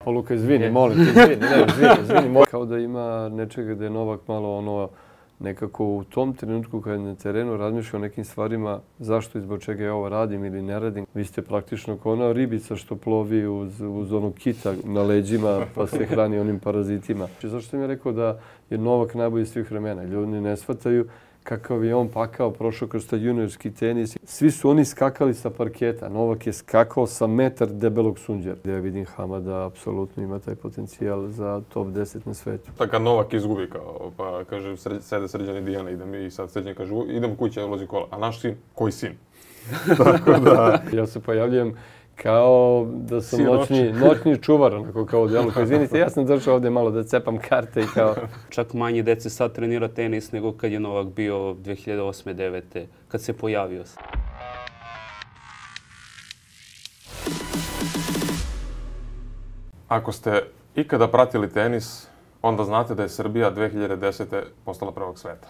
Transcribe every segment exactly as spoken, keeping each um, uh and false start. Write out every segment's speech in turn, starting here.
Pa Luka, izvini, molim te, izvini, ne, izvini, izvini. Kao da ima nečega da je Novak malo ono, nekako u tom trenutku kad je na terenu razmišlja o nekim stvarima, zašto i zbog čega ja ovo radim ili ne radim. Vi ste praktično kao ona ribica što plovi uz, uz onu kita na leđima pa se hrani onim parazitima. Zašto sam ja rekao da je Novak najbolji svih vremena? Ljudi ne shvataju kakav je on pakao, prošao kroz taj juniorski tenis. Svi su oni skakali sa parketa. Novak je skakao sa metar debelog sunđera. Ja vidim Hamada apsolutno ima taj potencijal za top deset na svetu. Tako kad Novak izgubi, kao, pa kaže sred, sede Srđan i Dijana, idem i sad Srđan kaže idem kuće, ulazi kola. A naš sin? Koji sin? Tako da... Ja se pojavljujem kao da sam noćni, noćni čuvar, onako kao u delu. Izvinite, ja sam došao ovdje malo da cepam karte i kao... Čak manje dece sad trenira tenis nego kad je Novak bio dvije hiljade osme devete kad se pojavio. Ako ste ikada pratili tenis, onda znate da je Srbija dvije hiljade desete postala prvog sveta.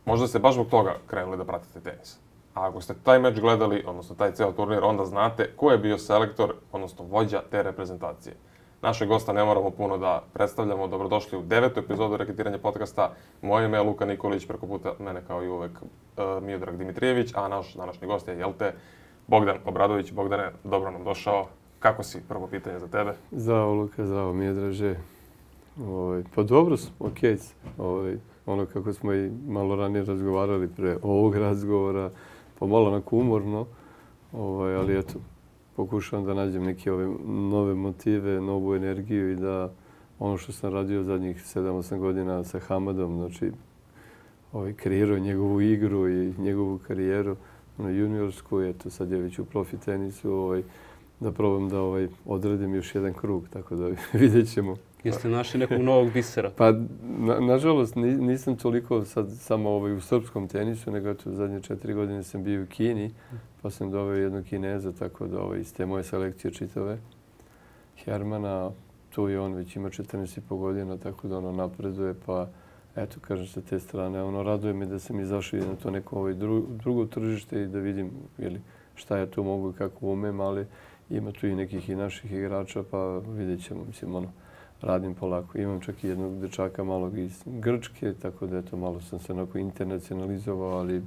Možda ste baš zbog toga krenuli da pratite tenis. A ako ste taj meč gledali, odnosno taj ceo turnir, onda znate ko je bio selektor, odnosno vođa te reprezentacije. Naše gosta ne moramo puno da predstavljamo. Dobrodošli u devetu epizodu Reketiranja podcasta. Moje ime je Luka Nikolić, preko puta mene kao i uvek uh, Miodrag Dimitrijević, a naš današnji gost je, jel te, Bogdan Obradović. Bogdane, dobro nam došao. Kako si? Prvo pitanje za tebe. Zdravo Luka, zdravo Miodraže. Ovaj, pa dobro sam, okej. Ovaj, ono kako smo i malo ranije razgovarali pre ovog razgovora, pa malo onako umorno, ovaj, ali eto, pokušavam da nađem neke ove nove motive, novu energiju i da ono što sam radio zadnjih sedam osam godina sa Hamadom, znači ovaj, kreirao njegovu igru i njegovu karijeru, ono, juniorsku, eto sad je već u profi tenisu, ovaj, da probam da ovaj, odradim još jedan krug, tako da vidjet ćemo. Jeste našli nekog novog bisera? Pa, na, nažalost, nisam toliko sad samo ovaj, u srpskom tenisu, nego eto, zadnje četiri godine sam bio u Kini, pa sam doveo jednog Kineza, tako da ovaj, iz te moje selekcije čitave. Hermana, tu je on već ima četrnaest i po godina, tako da ono napreduje, pa eto, kažem sa te strane, ono, raduje me da sam izašao na to neko ovaj, dru, drugo tržište i da vidim jeli, šta ja tu mogu i kako umem, ali ima tu i nekih i naših igrača, pa vidjet ćemo, mislim, ono, radim polako. Imam čak i jednog dečaka malog iz Grčke, tako da eto, malo sam se onako internacionalizovao, ali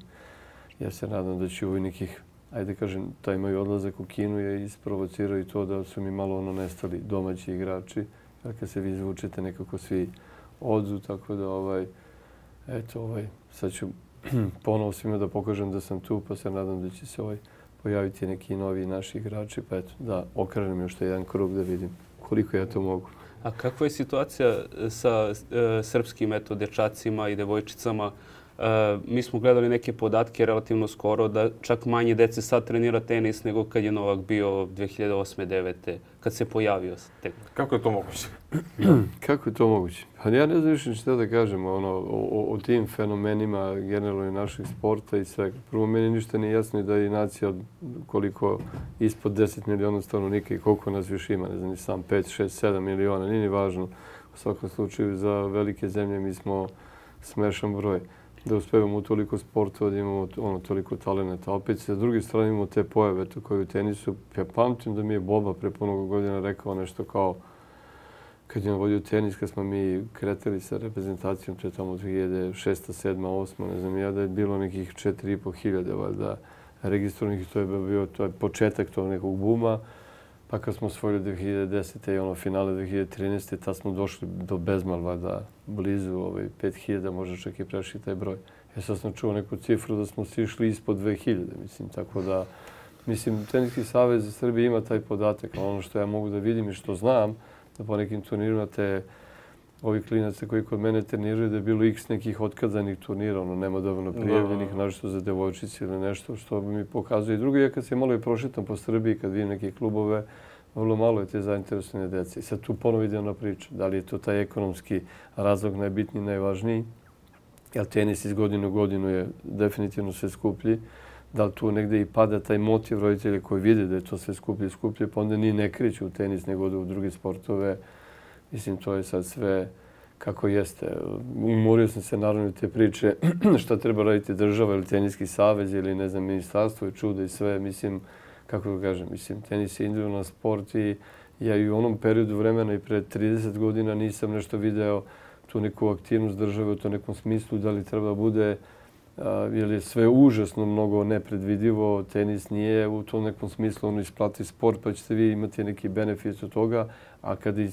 ja se nadam da ću u nekih, ajde kažem, taj moj odlazak u Kinu je isprovocirao i to da su mi malo ono nestali domaći igrači. Jer kad se vi izvučete, nekako svi odu, tako da ovaj, eto, ovaj, sad ću ponovo svima da pokažem da sam tu, pa se nadam da će se ovaj, pojaviti neki novi naši igrači, pa eto, da okrenem još jedan krug da vidim koliko ja to mogu. A kakva je situacija sa e, srpskim eto, dečacima i devojčicama? E, mi smo gledali neke podatke relativno skoro da čak manje dece sad trenira tenis nego kad je Novak bio dvije hiljade osme devete kad se pojavio. Tek. Kako je to moguće? Kako je to moguće? Pa ja ne znam više šta da kažem ono, o, o tim fenomenima generalno našeg sporta i svega. Prvo, meni ništa nije jasno da je nacija koliko ispod deset miliona stanovnika i koliko nas više ima. Ne znam, ni sam pet, šest, sedam miliona, nije ni važno. U svakom slučaju za velike zemlje mi smo smešan broj. Da uspevamo u toliko sportova, da imamo ono, toliko talenata. Opet sa druge strane imamo te pojave koje u tenisu. Ja pamtim da mi je Boba pre puno godina rekao nešto kao kad je on vodio tenis, kad smo mi kretali sa reprezentacijom, to je tamo dvije hiljade šesta, sedma, osma, ne znam ja, da je bilo nekih četiri i po hiljade valjda registrovanih. To je bio to je početak tog nekog buma. Pa kad smo osvojili dvije hiljade desete i ono finale dvije hiljade trinaeste, tad smo došli do bezmal, valjda blizu ovaj, pet hiljada, možda čak i prešli taj broj. Ja sad sam čuo neku cifru da smo sišli ispod dvije hiljade, mislim, tako da, mislim, Teniski savez Srbije ima taj podatak, a ono što ja mogu da vidim i što znam, da po nekim turnirima te ovi klinaca koji kod mene treniraju da je bilo x nekih otkazanih turnira, ono, nema dovoljno prijavljenih, našto za devojčice ili nešto što mi pokazuje. I drugo je kad se malo i prošetam po Srbiji, kad vidim neke klubove, vrlo malo je te zainteresovane dece. I sad tu ponovo ide ona priča. Da li je to taj ekonomski razlog najbitniji, najvažniji? Jer tenis iz godine u godinu je definitivno sve skuplji. Da li tu negde i pada taj motiv roditelja koji vide da je to sve skuplje i skuplje, pa onda ni ne kreću u tenis nego u druge sportove. Mislim, to je sad sve kako jeste. Umorio sam se naravno te priče šta treba raditi država ili Teniski savez ili ne znam, ministarstvo i čuda i sve. Mislim, kako da kažem, mislim, tenis je individualan sport i Ja i u onom periodu vremena i pre trideset godina nisam nešto video tu neku aktivnost države u to nekom smislu, da li treba bude, jer je sve užasno mnogo nepredvidivo, tenis nije u tom nekom smislu ono isplati sport, pa ćete vi imati neki benefit od toga, a kad je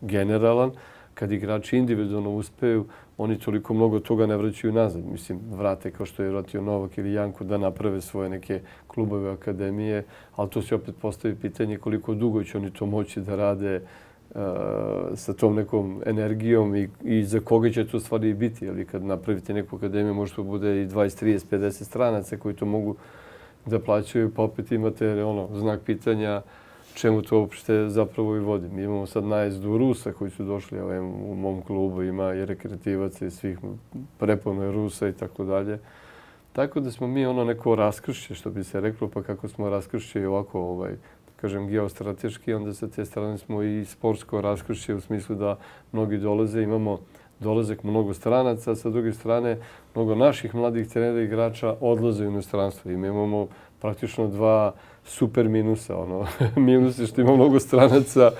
generalan, kad igrači individualno uspeju, oni toliko mnogo toga ne vraćaju nazad. Mislim, vrate kao što je vratio Novak ili Janko da naprave svoje neke klubove, akademije, ali to se opet postavi pitanje koliko dugo će oni to moći da rade uh, sa tom nekom energijom i, i za koga će to stvari biti. Ali kad napravite neku akademiju, može to bude i dvadeset, trideset, pedeset stranaca koji to mogu da plaćaju, pa opet imate ono, znak pitanja čemu to uopšte zapravo i vodi. Mi imamo sad najezdu Rusa koji su došli, ovaj, u mom klubu ima i rekreativaca i svih, prepuno je Rusa i tako dalje. Tako da smo mi ono neko raskršće, što bi se reklo, pa kako smo raskršće i ovako, ovaj, kažem, geostrateški, onda sa te strane smo i sportsko raskršće u smislu da mnogi dolaze, imamo dolazak mnogo stranaca, sa druge strane mnogo naših mladih trenera i igrača odlaze u inostranstvo. I mi imamo praktično dva super minusa. Ono. Minus je što ima mnogo stranaca,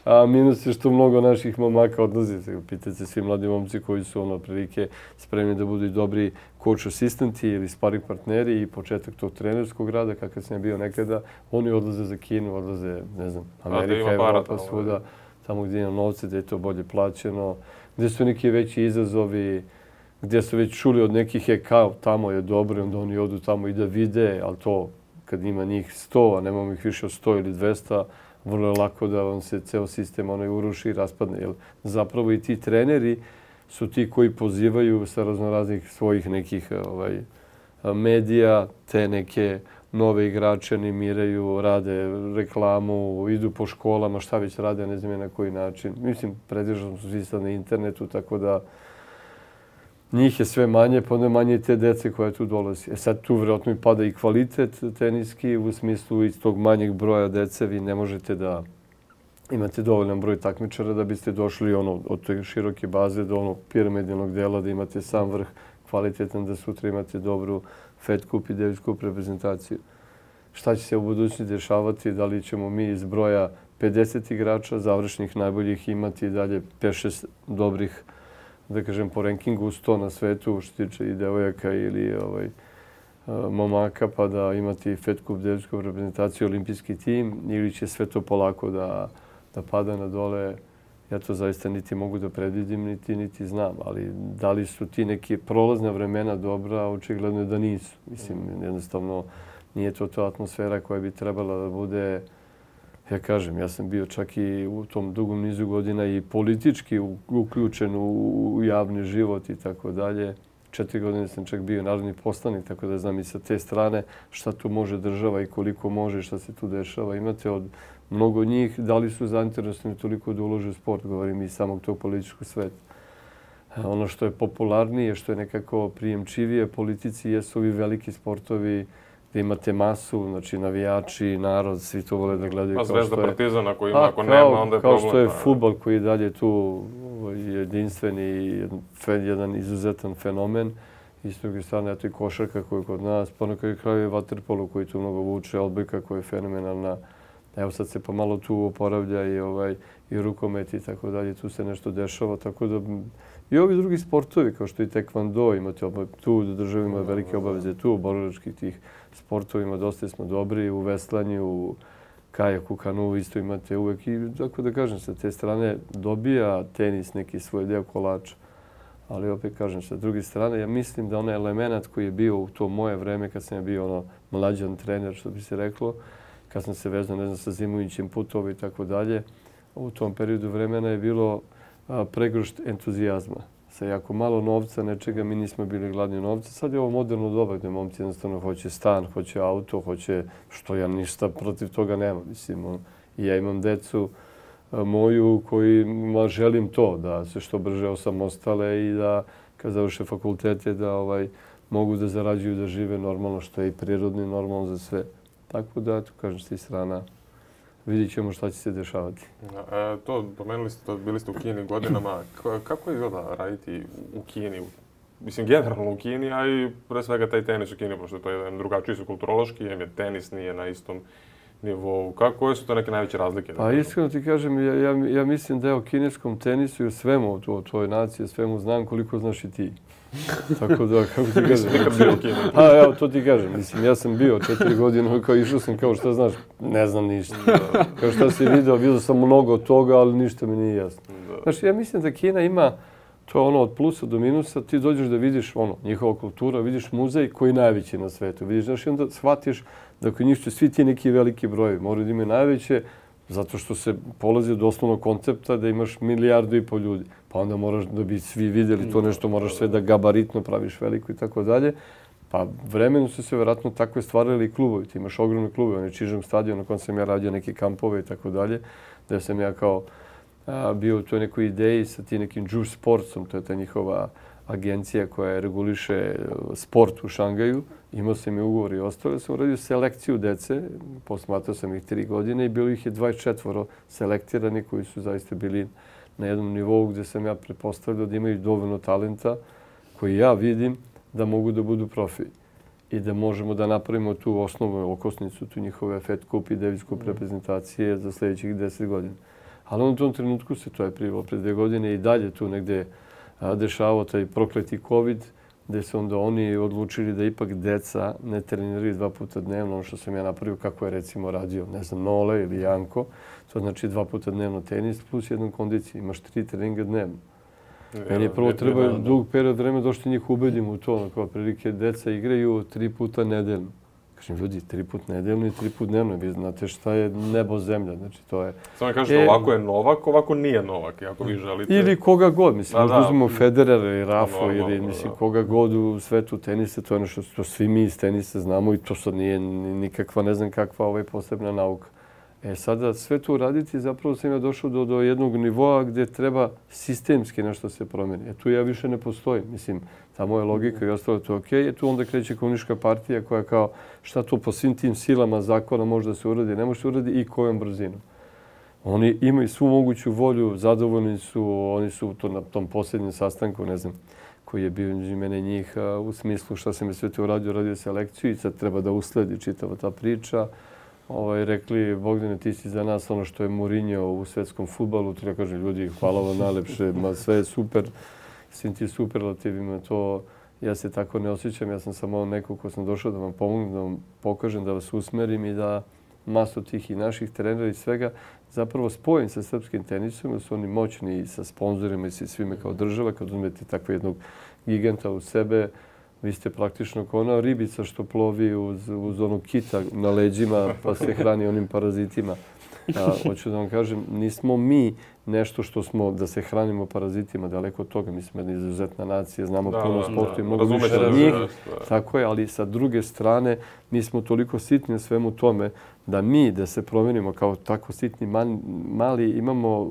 a minus je što mnogo naših momaka odlazi. Pitajte se svi mladi momci koji su ono prilike spremni da budu i dobri coach asistenti ili sparring partneri i početak tog trenerskog rada, kakav sam bio nekada. Oni odlaze za Kinu, odlaze, ne znam, Amerika, Evropa, svuda, tamo gdje ima novce, gdje je to bolje plaćeno, gdje su neki veći izazovi, gdje su već čuli od nekih je kao tamo je dobro, onda oni odu tamo i da vide, ali to kad ima njih sto, a nemamo ih više od sto ili dvesta, vrlo je lako da vam se ceo sistem onaj uruši i raspadne. Jer zapravo i ti treneri su ti koji pozivaju sa raznoraznih svojih nekih ovaj, medija, te neke nove igrače animiraju, rade reklamu, idu po školama, šta već rade, ne znam na koji način. Mislim, predržano su svi sad na internetu, tako da njih je sve manje, pa onda manje i te dece koje tu dolazi. E sad tu vjerojatno i pada i kvalitet teniski, u smislu iz tog manjeg broja dece vi ne možete da imate dovoljan broj takmičara da biste došli ono, od te široke baze do onog piramidalnog dela, da imate sam vrh kvalitetan, da sutra imate dobru Fed Cup i Davis Cup reprezentaciju. Šta će se u budućnosti dešavati? Da li ćemo mi iz broja pedeset igrača završnih najboljih imati dalje pet šest dobrih, da kažem, po rankingu sto na svetu, što tiče i devojaka ili ovaj, momaka, pa da imati Fed Cup, Davis Cup reprezentaciju, olimpijski tim, ili će sve to polako da, da pada na dole. Ja to zaista niti mogu da predvidim, niti, niti znam. Ali da li su ti neke prolazna vremena dobra, očigledno je da nisu. Mislim, jednostavno nije to ta atmosfera koja bi trebala da bude. Ja kažem, ja sam bio čak i u tom dugom nizu godina i politički uključen u javni život i tako dalje. Četiri godine sam čak bio narodni poslanik, tako da znam i sa te strane šta tu može država i koliko može, šta se tu dešava. Imate od mnogo njih, da li su zainteresovani toliko da ulože u sport, govorim i samog tog političkog sveta. Ono što je popularnije, što je nekako prijemčivije politici, jesu ovi veliki sportovi gdje imate masu, znači navijači, narod, svi to vole da gledaju. Pa Zvezda, Partizan, ako ima, ako nema, onda je problem. Kao što je fudbal koji je dalje tu jedinstven i jedan izuzetan fenomen. I s druge strane, eto i košarka koja je kod nas, pa na kraju kraju je vaterpolo koji tu mnogo vuče, odbojka koja je fenomenalna. Evo sad se pomalo tu oporavlja i, ovaj, i rukomet i tako dalje, tu se nešto dešava, tako da i ovi drugi sportovi, kao što i tekvando, imate tu, država ima velike obaveze tu, borilačkih tih sportovima, dosta smo dobri, u veslanju, u kajaku, kanu, isto imate uvek i, tako da kažem, sa te strane dobija tenis neki svoj deo kolača. Ali opet kažem, sa druge strane, ja mislim da onaj element koji je bio u to moje vreme, kad sam bio ono mlađan trener, što bi se reklo, kad sam se vezao, ne znam, sa zimujućim putovi i tako dalje, u tom periodu vremena je bilo pregršt entuzijazma. Sa jako malo novca, nečega, mi nismo bili gladni novca. Sad je ovo moderno doba gdje momci jednostavno hoće stan, hoće auto, hoće, što ja ništa protiv toga nemam. Mislim, ja imam decu moju kojima želim to, da se što brže osamostale i da kad završe fakultete da ovaj, mogu da zarađuju, da žive normalno, što je i prirodno i normalno za sve. Tako da, tu kažem, s tih strana vidjet ćemo šta će se dešavati. E, to, pomenuli ste to, bili ste u Kini godinama. Kako je izgleda raditi u Kini? Mislim, generalno u Kini, a i pre svega taj tenis u Kini, pošto to je jedan drugačiji su kulturološki, jer tenis nije na istom nivou. Kako, koje su to neke najveće razlike? Pa iskreno ti kažem, ja, ja, ja mislim da je o kineskom tenisu i o svemu, o tvojoj naciji, svemu znam koliko znaš i ti. Tako da, kako ti kažem. Nekad bio u Kini. A, evo, to ti kažem. Mislim, ja sam bio četiri godine, kao išao sam, kao šta znaš, ne znam ništa. Kao šta si vidio, vidio sam mnogo toga, ali ništa mi nije jasno. Znači, ja mislim da Kina ima, to je ono od plusa do minusa, ti dođeš da vidiš ono, njihova kultura, vidiš muzej koji je najveći na svetu. Vidiš, znaš, i onda shvatiš da kod njih su svi ti neki veliki brojevi. Moraju da imaju najveće, zato što se polazi od osnovnog koncepta da imaš milijardu i pol ljudi. Pa onda moraš da bi svi vidjeli to nešto, moraš sve da gabaritno praviš veliko i tako dalje. Pa vremenu su se vjerojatno takve stvarali i klubovi. Ti imaš ogromne klubove, onaj Čižem stadion na kojem sam ja radio neke kampove i tako dalje, da sam ja kao a, bio u toj nekoj ideji sa tim nekim Juice Sportsom, to je ta njihova agencija koja reguliše sport u Šangaju. Imao sam i ugovor i ostalo. Sam uradio selekciju dece, posmatrao sam ih tri godine i bilo ih je dvadeset četiri selektirani koji su zaista bili na jednom nivou gdje sam ja pretpostavljao da imaju dovoljno talenta koji ja vidim da mogu da budu profi i da možemo da napravimo tu osnovnu okosnicu, tu njihove Fed Cup i Davis Cup reprezentacije za sljedećih deset godina. Ali u tom trenutku se, to je prije pre dve godine i dalje tu negdje dešavao taj prokleti COVID, gdje su onda oni odlučili da ipak deca ne treniraju dva puta dnevno, ono što sam ja napravio kako je recimo radio, ne znam, Nole ili Janko. To znači dva puta dnevno tenis plus jednom kondiciju. Imaš tri treninga dnevno. Meni je prvo treba dug period vremena došto njih ubedim u to. Kao prilike deca igraju tri puta nedeljno. Kažem, ljudi, tri put nedeljno i tri put dnevno. Vi znate šta je nebo zemlja. Znači, to je... Samo mi kažete, ovako je Novak, ovako nije Novak, ako vi želite. Ili koga god. Mislim, možda uzmemo Federera i Rafa ili mislim, koga god u svetu tenisa. To je ono što svi mi iz tenisa znamo i to sad nije nikakva, ne znam kakva ovaj posebna nauka. E sada sve to uraditi, zapravo sam ja došao do, do jednog nivoa gdje treba sistemski nešto se promeni. E tu ja više ne postojim. Mislim, ta moja logika i ostalo to je okej. E tu onda kreće komunistička partija koja kao šta to po svim tim silama zakona može da se uradi, ne može se uradi i kojom brzinom. Oni imaju svu moguću volju, zadovoljni su, oni su to na tom posljednjem sastanku, ne znam, koji je bio među mene njih u smislu šta sam je sve to uradio, radio selekciju i sad treba da usledi čitava ta priča. Ovaj, rekli, Bogdane, ti si za nas ono što je Mourinho u svetskom fudbalu. Tu ja kažem, ljudi, hvala vam najlepše, ma sve je super, svim ti superlativima, to ja se tako ne osjećam. Ja sam samo neko ko sam došao da vam pomognem, da vam pokažem, da vas usmerim i da masu tih i naših trenera i svega zapravo spojim sa srpskim tenisom, da su oni moćni i sa sponzorima i sa svime kao država. Kad uzmete takvog jednog giganta u sebe, vi ste praktično kao ona ribica što plovi uz, uz onog kita na leđima pa se hrani onim parazitima. A, hoću da vam kažem, nismo mi nešto što smo da se hranimo parazitima, daleko od toga. Mi smo jedna izuzetna nacija, znamo da, puno sportu i mnogo više od njih. Tako je, ali sa druge strane mi smo toliko sitni na svemu tome da mi, da se promenimo kao tako sitni mali, imamo,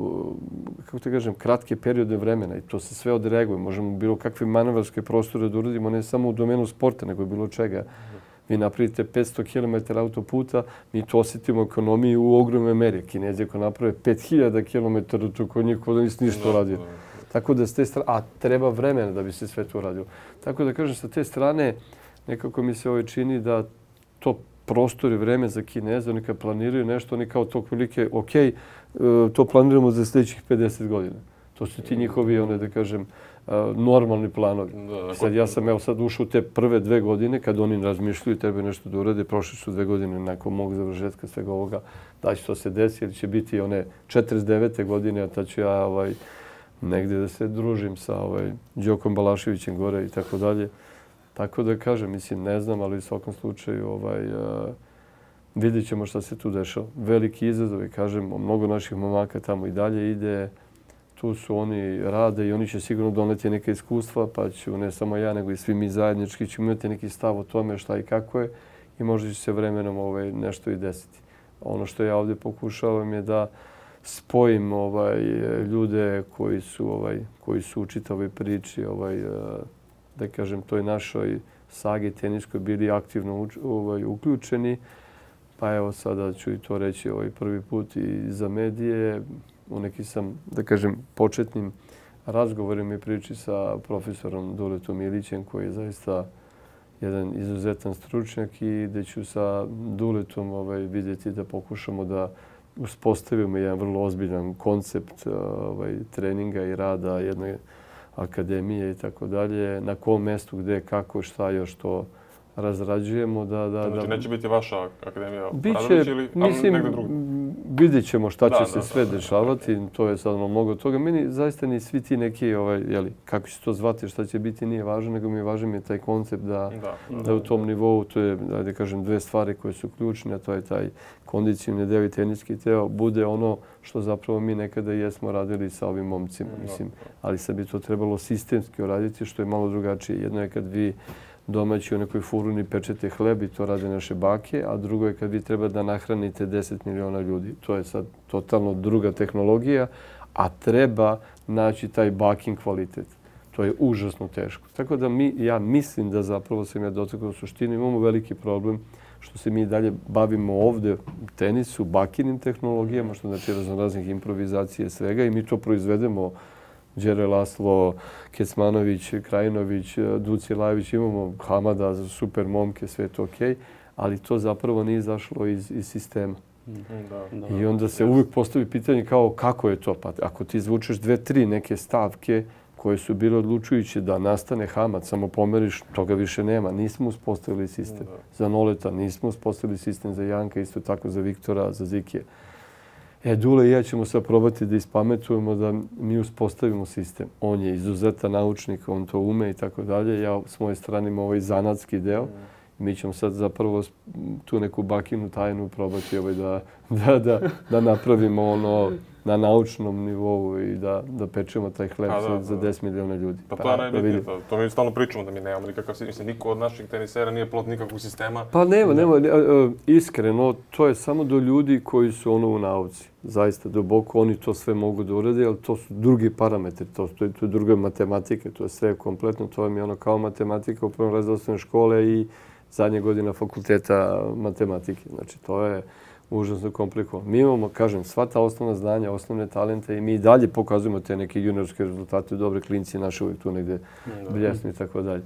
kako te kažem, kratke periode vremena i to se sve odreaguje. Možemo bilo kakve manevarske prostore da uradimo, ne samo u domenu sporta, nego bilo čega. Vi napravite petsto kilometara autoputa, mi to osjetimo u ekonomiji u ogromnoj meri. Kinezi ako naprave pet hiljada kilometara, to kod njih kod nisi ništa uradio. Tako da s te strane, a treba vremena da bi se sve to uradio. Tako da kažem, sa te strane nekako mi se ovo čini da to prostor i vreme za Kineze, oni kad planiraju nešto, oni kao to kolike, ok, to planiramo za sljedećih pedeset godina. To su ti njihovi, one da kažem, normalni planovi. Sad ja sam evo sad ušao u te prve dve godine kad oni razmišljaju i treba nešto da urade. Prošle su dve godine nakon mog završetka svega ovoga. Da će to se desi ili će biti one četrdeset devete godine, a tad ću ja ovaj, negdje da se družim sa ovaj, Đokom Balaševićem gore i tako dalje. Tako da kažem, mislim, ne znam, ali u svakom slučaju ovaj, uh, vidjet ćemo šta se tu dešava. Veliki izazovi, kažem, mnogo naših momaka tamo i dalje ide. Tu su oni rade i oni će sigurno doneti neke iskustva, pa ću ne samo ja, nego i svi mi zajednički ćemo imati neki stav o tome šta i kako je i možda će se vremenom ovaj, nešto i desiti. Ono što ja ovdje pokušavam je da spojim ovaj, ljude koji su, ovaj, koji su u čitavoj priči, ovaj, da kažem, toj našoj sagi teniskoj bili aktivno ovaj, uključeni. Pa evo sada ću i to reći ovaj, prvi put i za medije. U neki sam, da kažem, početnim razgovorima i priči sa profesorom Duletom Ilićem, koji je zaista jedan izuzetan stručnjak i gde ću sa Duletom ovaj, vidjeti da pokušamo da uspostavimo jedan vrlo ozbiljan koncept ovaj, treninga i rada jedne akademije i tako dalje. Na kom mestu, gde, kako, šta još to razrađujemo. Da, da, znači da, neće biti vaša akademija biće, Radović ili mislim, negdje drugo? Vidjet ćemo šta će da, se da, sve da, da, dešavati. da, to je sad ono mnogo toga. Meni zaista ni svi ti neki, ovaj, jeli, kako će to zvati, šta će biti, nije važno, nego mi je važan mi je taj koncept da, da, da, da u tom nivou, to je, da kažem, dve stvari koje su ključne, a to je taj kondicijni deo i teniski deo, bude ono što zapravo mi nekada jesmo radili sa ovim momcima. Mislim, ali sad bi to trebalo sistemski uraditi, što je malo drugačije. Jedno je kad vi domaći u nekoj furuni pečete hleb i to rade naše bake, a drugo je kad vi treba da nahranite deset miliona ljudi. To je sad totalno druga tehnologija, a treba naći taj baking kvalitet. To je užasno teško. Tako da mi, ja mislim da zapravo sam ja dotakao u suštini, imamo veliki problem što se mi dalje bavimo ovde u tenisu, bakinim tehnologijama, što znači raznoraznih improvizacije svega i mi to proizvedemo. Đere Laslo, Kecmanović, Krajinović, Duci Lajević, imamo Hamada, super momke, sve to okej, ali to zapravo nije izašlo iz, iz sistema. Da, da. I onda se uvijek postavi pitanje kao kako je to? Pa ako ti izvučeš dve, tri neke stavke koje su bile odlučujuće da nastane Hamad, samo pomeriš, toga više nema. Nismo uspostavili sistem za Noleta, nismo uspostavili sistem za Janka, isto tako za Viktora, za Zikija. E, Dule i ja ćemo sad probati da ispametujemo da mi uspostavimo sistem. On je izuzetan naučnik, on to ume i tako dalje. Ja s moje strane imam ovaj zanatski deo. Mi ćemo sad zapravo tu neku bakinu tajnu probati ovaj da, da, da, da napravimo ono na naučnom nivou i da, da pečemo taj hleb da, za, da. za deset miliona ljudi. Pa to je najbitnije. To, to mi stalno pričamo da mi nemamo nikakav sistem. Mislim, niko od naših tenisera nije plod nikakvog sistema. Pa nema, nema. Iskreno, to je samo do ljudi koji su ono u nauci. Zaista, duboko oni to sve mogu da urade, ali to su drugi parametri. To, to, je, to je druga matematika. To je sve kompletno. To je ono kao matematika u prvom razredu osnovne škole i zadnje godina fakulteta matematike. Znači, to je užasno komplikovano. Mi imamo, kažem, sva ta osnovna znanja, osnovne talente i mi i dalje pokazujemo te neke juniorske rezultate, dobre klinci naše uvijek tu negde bljesnu i tako dalje.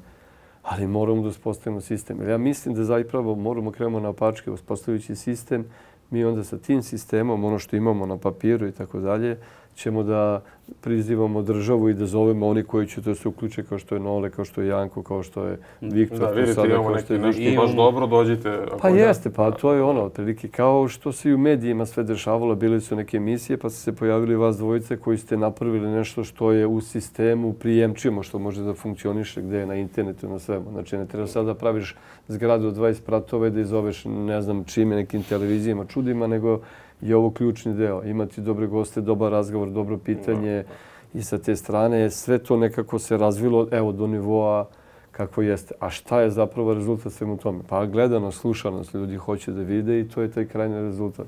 Ali moramo da uspostavimo sistem. Jer ja mislim da zapravo moramo krenemo na opačke uspostavljajući sistem. Mi onda sa tim sistemom, ono što imamo na papiru i tako dalje, ćemo da prizivamo državu i da zovemo oni koji će to se uključe kao što je Nole, kao što je Janko, kao što je Viktor. Da, vidite, imamo neki nešto baš dobro, dođite. Pa jeste, pa to je ono, otprilike kao što se i u medijima sve dešavalo, bile su neke emisije pa su se pojavili vas dvojice koji ste napravili nešto što je u sistemu prijemčivo, što može da funkcioniše gde je na internetu, na svemu. Znači ne treba sad da praviš zgradu od dvadeset spratova da izoveš ne znam čime, nekim televizijama, čudima, nego je ovo ključni deo. Imati dobre goste, dobar razgovor, dobro pitanje i sa te strane sve to nekako se razvilo evo do nivoa kako jeste. A šta je zapravo rezultat svemu tome? Pa gledanost, slušanost, ljudi hoće da vide i to je taj krajnji rezultat.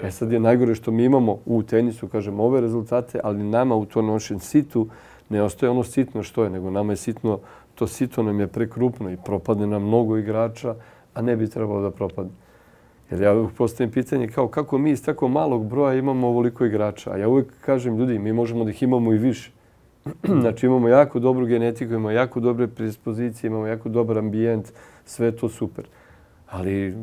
E sad je najgore što mi imamo u tenisu, kažem, ove rezultate, ali nama u to našem situ ne ostaje ono sitno što je, nego nama je sitno, to sito nam je prekrupno i propadne nam mnogo igrača, a ne bi trebalo da propadne. Jer ja uvijek postavim pitanje kao kako mi iz tako malog broja imamo ovoliko igrača. A ja uvijek kažem, ljudi, mi možemo da ih imamo i više. Znači imamo jako dobru genetiku, imamo jako dobre predispozicije, imamo jako dobar ambijent, sve je to super. Ali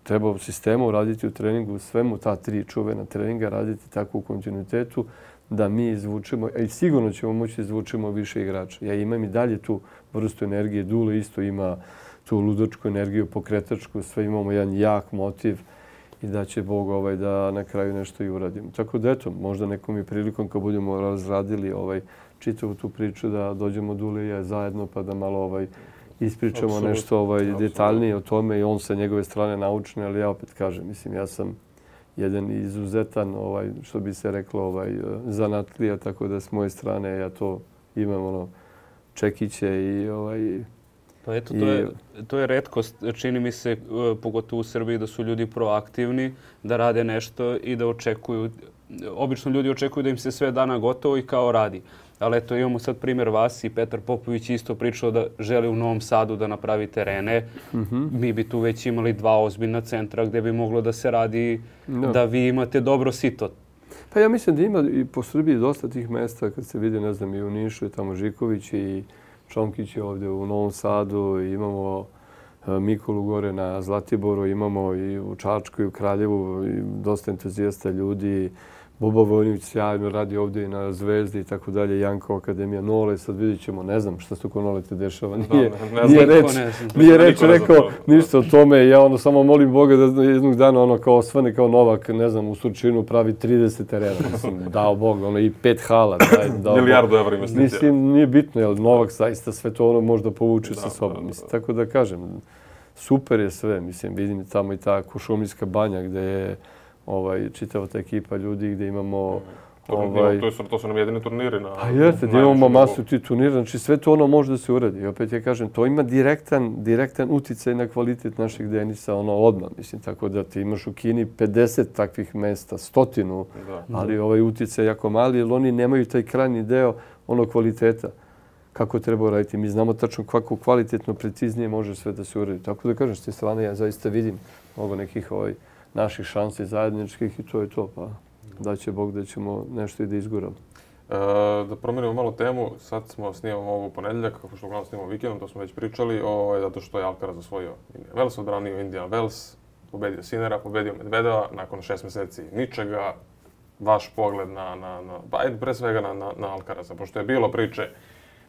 treba u sistemu raditi u treningu, svemu ta tri čuvena treninga, raditi tako u kontinuitetu da mi izvučemo, i sigurno ćemo moći izvučemo više igrača. Ja imam i dalje tu vrstu energije, Dule isto ima tu ludačku energiju, pokretačku, sve imamo jedan jak motiv i da će Bog ovaj, da na kraju nešto i uradimo. Tako da eto, možda nekom i prilikom kad budemo razradili ovaj, čitavu tu priču da dođemo Dule i ja zajedno pa da malo ovaj, ispričamo Absolut. nešto ovaj, detaljnije o tome i on sa njegove strane naučne, ali ja opet kažem, mislim, ja sam jedan izuzetan, ovaj, što bi se reklo, ovaj, zanatlija, tako da s moje strane ja to imam ono, čekiće i ovaj, Pa eto, to je, to je retkost, čini mi se, pogotovo u Srbiji, da su ljudi proaktivni, da rade nešto i da očekuju. Obično ljudi očekuju da im se sve dana gotovo i kao radi. Ali eto, imamo sad primjer vas i Petar Popović isto pričao da želi u Novom Sadu da napravi terene. Mm-hmm. Mi bi tu već imali dva ozbiljna centra gdje bi moglo da se radi, no. da vi imate dobro sito. Pa ja mislim da ima i po Srbiji dosta tih mesta, kad se vidi, ne znam, i u Nišu, i tamo Žiković i Čomkić je ovdje u Novom Sadu, imamo Mikolu gore na Zlatiboru, imamo i u Čačku i u Kraljevu i dosta entuzijasta ljudi. Boba Vojnić sjajno radi ovdje i na Zvezdi i tako dalje, Janko Akademija, Nole, sad vidit ćemo, ne znam šta se oko Nole te dešava. Nije, nije reč, nije reč rekao ništa o tome. Ja ono samo molim Boga da jednog dana ono kao osvane kao Novak, ne znam, u Surčinu pravi trideset terena. Mislim, dao Bog, ono i pet hala. Daj, dao milijardu evra investicija. Mislim, nije bitno, jer Novak zaista sve to ono možda povuče sa sobom. Mislim, tako da kažem, super je sve. Mislim, vidim tamo i ta Košumlijska banja gdje je ovaj, čitava ta ekipa ljudi gdje imamo... Ovaj, to, to su nam jedini turniri. Na, pa jeste, gdje imamo masu tih turnira, znači sve to ono može da se uradi. I opet ja kažem, to ima direktan, direktan uticaj na kvalitet našeg tenisa, ono odmah, mislim, tako da ti imaš u Kini pedeset takvih mesta, stotinu, da. Ali ovaj uticaj je jako mali, jer oni nemaju taj krajnji deo ono kvaliteta kako treba raditi. Mi znamo tačno kako kvalitetno, preciznije može sve da se uradi. Tako da kažem, s te strane ja zaista vidim mnogo nekih ovaj, naših šansi zajedničkih i to je to. Pa da će Bog da ćemo nešto i da izguramo. E, da promenimo malo temu, sad smo snimamo ovo ponedjeljak, kako što uglavnom snimamo vikendom, to smo već pričali, o, zato što je Alcaraz osvojio Indian Wells, odbranio Indian Wells, pobedio Sinera, pobedio Medvedeva, nakon šest mjeseci ničega. Vaš pogled na, na, na pa ajde pre svega na, na, na Alcaraza, pošto je bilo priče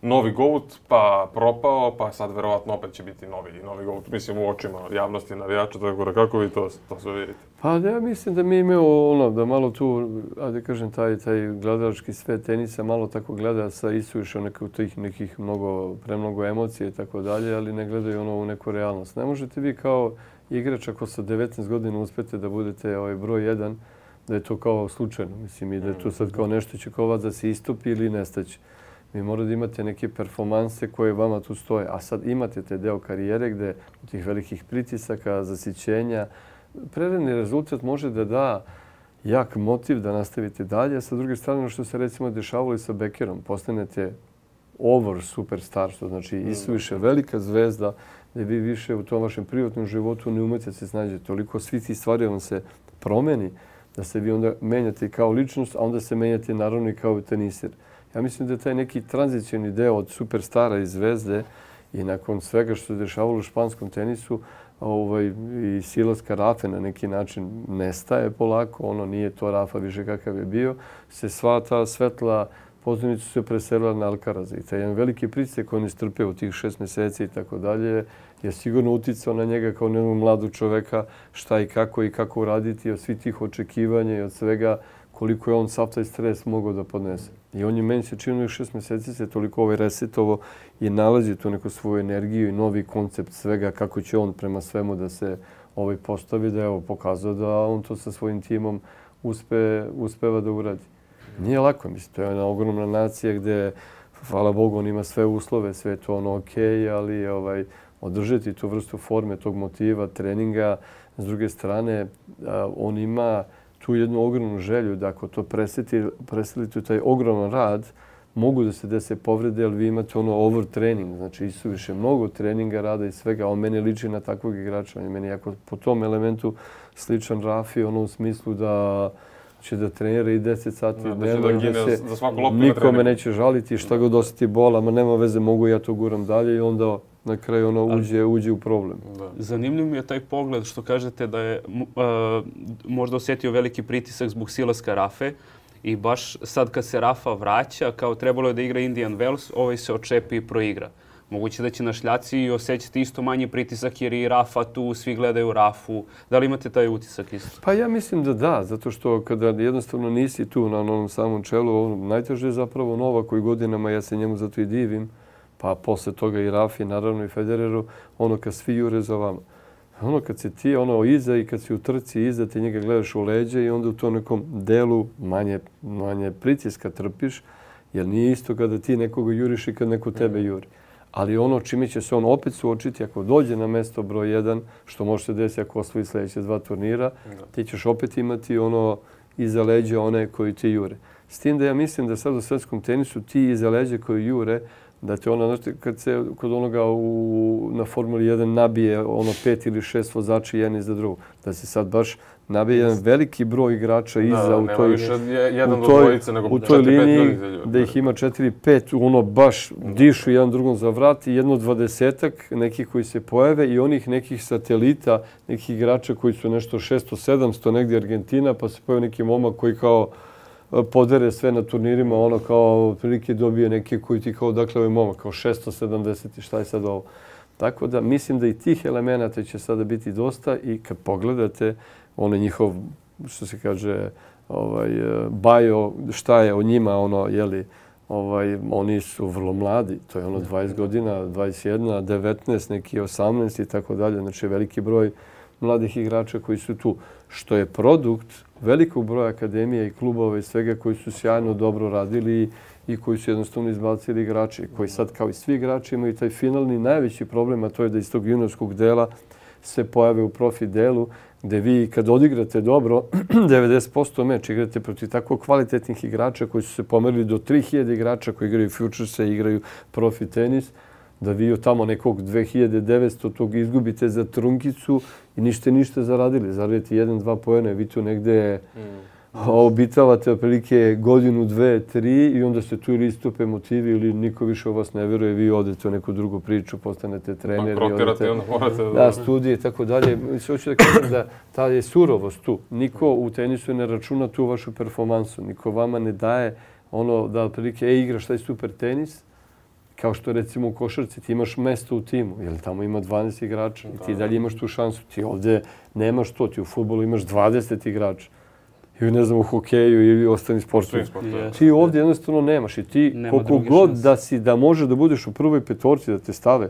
novi GOAT, pa propao, pa sad verovatno opet će biti novi, novi GOAT, mislim u očima javnosti navijača, tako da kako vi to, to sve vidite? Pa ja mislim da mi imamo ono, da malo tu, ajde kažem, taj, taj gledalački svet tenisa malo tako gleda sa isuviše nekih tih nekih mnogo, premnogo emocije i tako dalje, ali ne gledaju ono u neku realnost. Ne možete vi kao igrač ako sa devetnaest godina uspete da budete ovaj broj jedan, da je to kao slučajno, mislim, i da je to sad kao nešto će kao vas da se istopi ili nestaće. Vi morate da imate neke performanse koje vama tu stoje, a sad imate te deo karijere gde u tih velikih pritisaka, zasićenja, prerani rezultat može da da jak motiv da nastavite dalje, a sa druge strane što se recimo dešavalo i sa Beckerom, postanete over superstar, što znači isuviše velika zvezda, gde vi više u tom vašem privatnom životu ne umete se snađete. Toliko svi ti stvari vam se promeni da se vi onda menjate kao ličnost, a onda se menjate naravno i kao teniser. Ja mislim da je taj neki tranzicijni deo od superstara i zvezde i nakon svega što se dešavalo u španskom tenisu ovaj, i silaska Rafe na neki način nestaje polako, ono nije to Rafa više kakav je bio, se sva ta svetla pozornica se preselila na Alcaraza. I taj jedan veliki pritisak koji on istrpeo u tih šest mjeseci i tako dalje je sigurno uticao na njega kao jednog mladog čoveka šta i kako i kako uraditi od svih tih očekivanja i od svega koliko je on sav taj stres mogao da podnese. I on je meni se činilo šest mjeseci se toliko ovaj resetovo i nalazi tu neku svoju energiju i novi koncept svega kako će on prema svemu da se ovaj postavi, da je evo pokazao da on to sa svojim timom uspe, uspeva da uradi. Nije lako, mislim, to je jedna ogromna nacija gdje, hvala Bogu, on ima sve uslove, sve je to ono okej, ali ovaj, održati tu vrstu forme, tog motiva, treninga. S druge strane, on ima tu jednu ogromnu želju da ako to preselite u taj ogroman rad, mogu da se dese povrede, ali vi imate ono overtraining, znači isuviše mnogo treninga, rada i svega. On meni liči na takvog igrača. On je meni jako po tom elementu sličan Rafi, ono u smislu da će da trenira i deset sati dnevno, da, da se nikome neće žaliti, šta god osjeti bola, ma nema veze, mogu ja to guram dalje i onda na kraju ono uđe, uđe u problem. Da. Zanimljiv mi je taj pogled što kažete da je uh, možda osjetio veliki pritisak zbog silaska Rafe i baš sad kad se Rafa vraća, kao trebalo je da igra Indian Wells, ovaj se očepi i proigra. Moguće da će na šljaci i osjećati isto manji pritisak jer i Rafa tu, svi gledaju Rafu. Da li imate taj utisak isto? Pa ja mislim da da, zato što kada jednostavno nisi tu na onom samom čelu, najteže je zapravo Nova koji godinama, ja se njemu zato i divim, pa posle toga i Rafi, naravno i Federeru, ono kad svi jure za vama. Ono kad si ti ono iza i kad si u trci iza, ti njega gledaš u leđe i onda u tom nekom delu manje, manje pritiska trpiš, jer nije isto kada ti nekoga juriš i kad neko tebe juri. Ali ono čime će se on opet suočiti, ako dođe na mesto broj jedan, što može se desiti ako osvoji sljedeće dva turnira, ti ćeš opet imati ono iza leđa one koji ti jure. S tim da ja mislim da sad u svetskom tenisu ti iza leđa koji jure Da te ona, znači, kad se kod onoga u, na Formuli jedan nabije ono pet ili šest vozača jedan iza drugog, da se sad baš nabije jedan veliki broj igrača iza da, u toj, više jedan u toj, do dvojice, nego u toj četiri, liniji, pet da ih ima četiri pet, ono baš dišu jedan drugom za vrat i jedno dvadesetak nekih koji se pojave i onih nekih satelita, nekih igrača koji su nešto šesto sedamsto negdje Argentina, pa se pojavi neki momak koji kao podere sve na turnirima, ono kao prilike dobije neke koji ti kao, dakle, ovaj momak, kao šesto sedamdeset i šta je sad ovo. Tako da mislim da i tih elemenata će sada biti dosta i kad pogledate ono njihov, što se kaže, ovaj, bio, šta je o njima, ono, jeli, ovaj, oni su vrlo mladi, to je ono dvadeset godina, dvadeset jedna, devetnaest, neki osamnaest i tako dalje, znači veliki broj mladih igrača koji su tu, što je produkt velikog broja akademija i klubova i svega koji su sjajno dobro radili i koji su jednostavno izbacili igrači, koji sad kao i svi igrači imaju taj finalni najveći problem, a to je da iz tog juniorskog dela se pojave u profi delu, gde vi kad odigrate dobro, devedeset posto meč igrate protiv tako kvalitetnih igrača koji su se pomerili do tri hiljade igrača koji igraju Futurese i igraju profi tenis, da vi od tamo nekog dve hiljade devetsto tog izgubite za trunkicu i ništa ništa zaradili. Zaradite jedan, dva poena, vi tu negde mm. obitavate otprilike godinu, dve, tri i onda ste tu ili istupe motivi ili niko više o vas ne vjeruje, vi odete u neku drugu priču, postanete treneri. Bankrotirate i onda morate da... Da, studije i tako dalje. Mislim, hoću da kažem da ta je surovost tu. Niko u tenisu ne računa tu vašu performansu. Niko vama ne daje ono da otprilike, e, igraš taj super tenis, kao što recimo u košarci ti imaš mesto u timu, jer tamo ima dvanaest igrača i ti dalje imaš tu šansu. Ti ovdje nemaš to, ti u fudbalu imaš dvadeset igrača. Ili ne znam, u hokeju ili ostalim sportovima. Ti ovdje jednostavno nemaš i ti koliko god da si, da može da budeš u prvoj petorci, da te stave,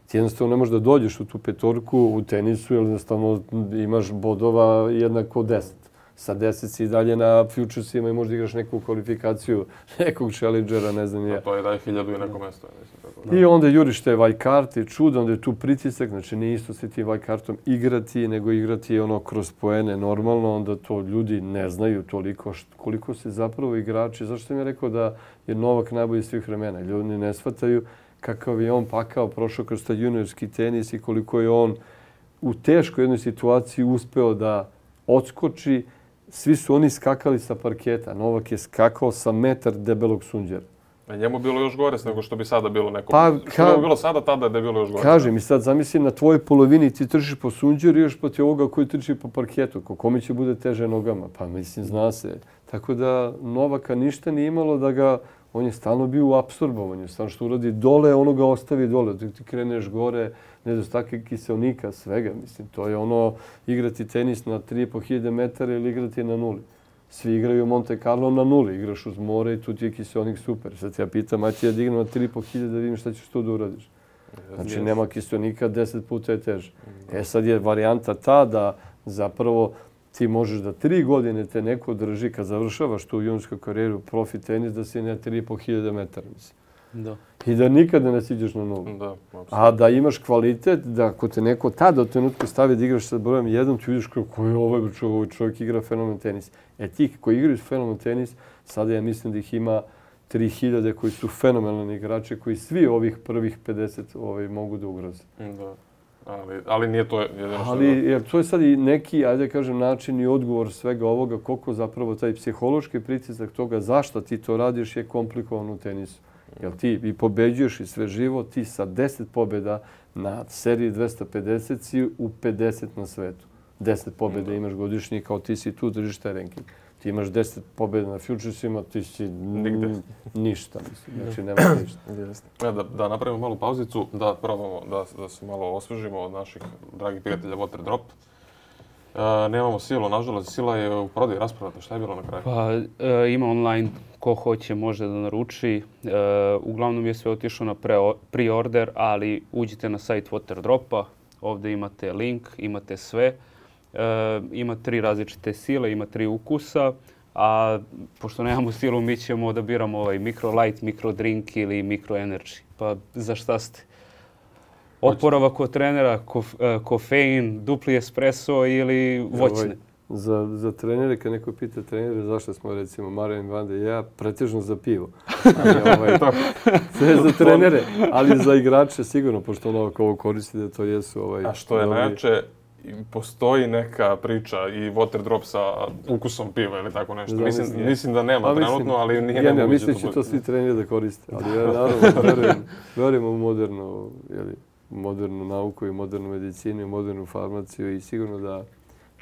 ti jednostavno ne možeš da dođeš u tu petorku u tenisu, jer jednostavno imaš bodova jednako deset. Sa deset si dalje na Futuresima i možda igraš neku kvalifikaciju nekog challengera, ne znam ja. To je daj hiljadu i neko mesto. I onda juriš te vajkarte, čudo, onda je tu pritisak, znači nije isto se ti vajkartom igrati, nego igrati ono kroz poene normalno, onda to ljudi ne znaju toliko koliko se zapravo igrači. Zašto sam ja rekao da je Novak najbolji svih vremena? Ljudi ne shvataju kakav je on pakao, prošao kroz taj juniorski tenis i koliko je on u teškoj jednoj situaciji uspeo da odskoči. Svi su oni skakali sa parketa. Novak je skakao sa metar debelog sunđera. A njemu bilo još gore nego što bi sada bilo neko. Pa, što bi bilo sada, tada da je bilo još gore. Kaži mi sad, zamislim na tvojoj polovini ti trčiš po sunđeru i još protiv ovoga koji trči po parketu. Kome će bude teže nogama? Pa mislim, zna se. Tako da Novaka ništa nije imalo da ga... On je stalno bio u apsorbovanju. Stalno što uradi dole, ono ga ostavi dole. Ti, ti kreneš gore, nedostatak kiselnika, svega. Mislim, to je ono igrati tenis na tri i po hiljade metara ili igrati na nuli. Svi igraju Monte Carlo na nuli. Igraš uz more i tu ti je kiselnik super. Sad ja pitam, aj ti ja dignem na tri i po hiljade da vidim šta ćeš tu da uradiš. Znači, nema kiselnika, deset puta je teže. E sad je varijanta ta da zapravo ti možeš da tri godine te neko drži kad završavaš tu juniorskoj karijeru profi tenis da si na tri i po hiljade metara. Da. I da nikada ne siđeš na nulu. Da, a da imaš kvalitet, da ako te neko tada u trenutku stavi da igraš sa brojem jedan, ti vidiš kako je ovaj čovjek, ovaj čovjek igra fenomen tenis. E ti koji igraju fenomen tenis, sada ja mislim da ih ima tri hiljade koji su fenomenalni igrači, koji svi ovih prvih pedeset ovaj, mogu da ugroze. Da. Ali, ali nije to jedino što... Ali jer to je sad i neki, ajde kažem, način i odgovor svega ovoga, koliko zapravo taj psihološki pritisak toga zašto ti to radiš je komplikovan u tenisu. Jer ti i pobeđuješ i sve živo, ti sa deset pobjeda na seriji dvesta pedeset si u pedeset na svetu. deset pobjeda imaš godišnji, kao ti si tu, držiš taj ranking. Ti imaš deset pobjeda na Futuresima, ti si ništa, mislim. Znači, nema ništa. Ja, da, da napravimo malu pauzicu, da probamo da, da se malo osvežimo od naših dragih prijatelja Water Drop. Uh, nemamo Silu, nažalost, Sila je u prodaju raspravata. Šta je bilo na kraju? Pa, e, ima online, ko hoće može da naruči. E, uglavnom je sve otišlo na pre-order, ali uđite na sajt Water Dropa, ovdje imate link, imate sve. E, ima tri različite sile, ima tri ukusa, a pošto nemamo Silu, mi ćemo da biramo ovaj micro light, micro drink ili micro energy. Pa za šta ste? Oporavak od trenera, kof, uh, kofein, dupli espresso ili voćne? za, za trenere, kad neko pita trenere zašto smo, recimo, Marijan Vanda i ja, pretežno za pivo. Ali, ovaj, sve za trenere, ali za igrače sigurno, pošto ono ovo koristi da to jesu... Ovaj, A što je dobri... najjače, postoji neka priča i water drop sa ukusom piva ili tako nešto. Mislim, mislim, mislim da nema mislim, trenutno, ali nije ja, nemoguće. Mislim da će to svi treneri da koriste. Ali ja naravno verujem, verujem u modernu, jeli, modernu nauku i modernu medicinu i modernu farmaciju i sigurno da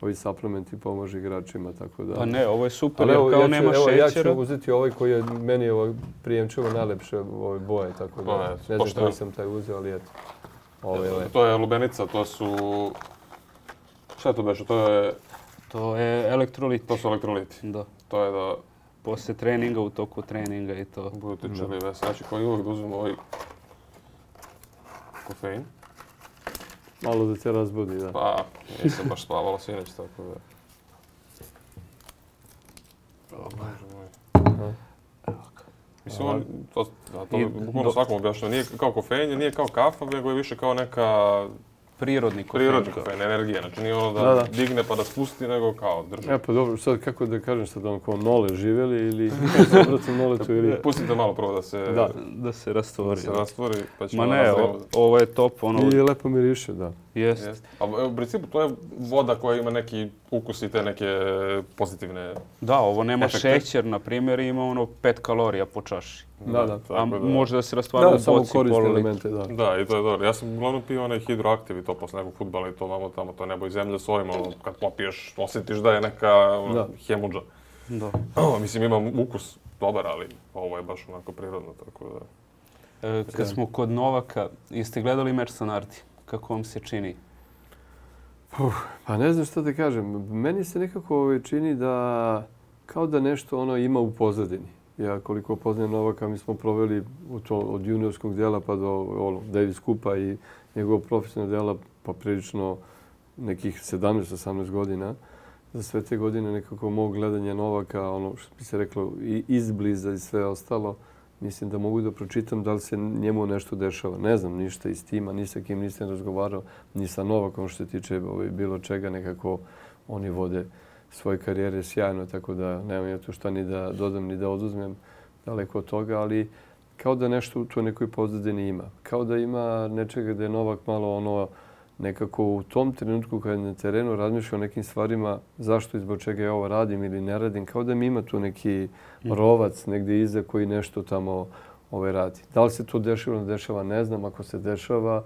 ovi suplementi pomožu igračima, tako da... Pa ne, ovo je super, ali, jer kao ja ću, nema evo, šećera. Ja ću uzeti ovaj koji je meni ovo prijemčivo najlepše ove boje, tako da je, ne znam kako sam taj uzeo, ali eto. Ovo je to je lubenica, to su... Šta je to beše? To je... To je elektroliti. To su elektroliti. Da. To je da... Poslije treninga, u toku treninga i to. Budete čeli vesači koji uvijek da uzmemo ovaj kofein. Malo da te razbudi, da. Pa, nisam baš spavalo sinoć, tako da... Mislim, on, to, da, to bukvalno svakom objašnjava. Nije kao kofein, nije kao kafa, nego je više kao neka... Prirodni kofein. Prirodni kofein, energija. Znači nije ono da, da, da digne pa da spusti, nego kao drži. E pa dobro, sad kako da kažem, sad ono kao nole živjeli ili obratom noletu ili... Pustite malo prvo da se... Da, da se rastvori. Da se rastvori, pa ćemo... Ma ne, o, ovo je top, ono... I lepo miriše, da. Jest. Jest. A u principu to je voda koja ima neki ukus i te neke pozitivne... Da, ovo nema efekte. Šećer, na primjer, ima ono pet kalorija po čaši. Da, da. A da. može da se rastvara u boci, samo koriste pololitru. elemente, da. Da, i to je dobro. Ja sam uglavnom pio onaj hidroaktiv i to posle nekog fudbala i to vamo tamo, to nebo i zemlja s ovim, ono, kad popiješ, osjetiš da je neka ono, hemudža. Da. Mislim, ima ukus dobar, ali ovo je baš onako prirodno, tako da... E, kad smo kod Novaka, jeste gledali meč sa Nardi? Kako vam se čini? Uf, pa ne znam što da kažem. Meni se nekako čini da kao da nešto ono ima u pozadini. Ja koliko poznajem Novaka, mi smo proveli to, od juniorskog dela pa do ono, Davis Cupa i njegovog profesionalnog dela pa prilično nekih sedamnaest osamnaest godina. Za sve te godine nekako mog gledanja Novaka, ono što bi se reklo, i izbliza i sve ostalo, mislim da mogu da pročitam da li se njemu nešto dešava. Ne znam ništa iz tima, ni sa kim nisam razgovarao, ni sa Novakom što se tiče ovaj, bilo čega. Nekako oni vode svoje karijere sjajno, tako da nemam ja tu šta ni da dodam ni da oduzmem daleko od toga, ali kao da nešto u toj nekoj pozadini ima. Kao da ima nečega da je Novak malo ono nekako u tom trenutku kad je na terenu razmišlja o nekim stvarima zašto i zbog čega ja ovo radim ili ne radim, kao da mi ima tu neki rovac negdje iza koji nešto tamo ovaj radi. Da li se to dešava ili ne dešava, ne znam. Ako se dešava,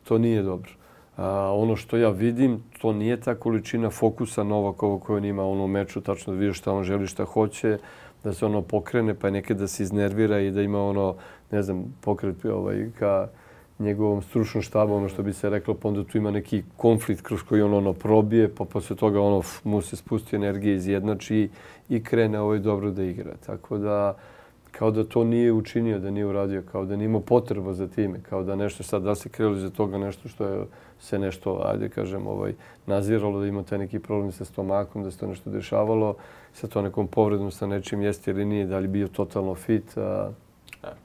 to nije dobro. A, ono što ja vidim, to nije ta količina fokusa Novakova koju on ima u onom meču, tačno da vidiš šta on želi, šta hoće, da se ono pokrene, pa nekad da se iznervira i da ima ono, ne znam, pokret ovaj, ka njegovom stručnom štabu, ono što bi se reklo, pa onda tu ima neki konflikt kroz koji on ono probije, pa posle toga ono mu se spusti energije, izjednači i krene ovaj dobro da igra. Tako da, kao da to nije učinio, da nije uradio, kao da nije imao potreba za time, kao da nešto sad, da se krilo za toga nešto što je se nešto, ajde kažem, ovaj, naziralo, da ima taj neki problem sa stomakom, da se to nešto dešavalo, sa to nekom povredom, sa nečim jeste ili nije, da li bio totalno fit, a,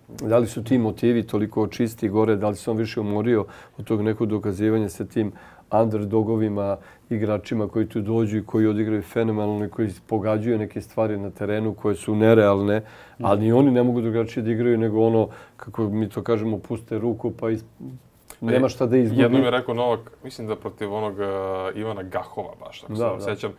da li su ti motivi toliko čisti gore, da li se on više umorio od tog nekog dokazivanja sa tim underdogovima, igračima koji tu dođu i koji odigraju fenomenalno i koji pogađaju neke stvari na terenu koje su nerealne, ali ni oni ne mogu drugačije da igraju nego ono, kako mi to kažemo, puste ruku pa is... nema šta da izgubi. Jednom je rekao Novak, mislim da protiv onog uh, Ivana Gahova baš, ako se vam sjećam,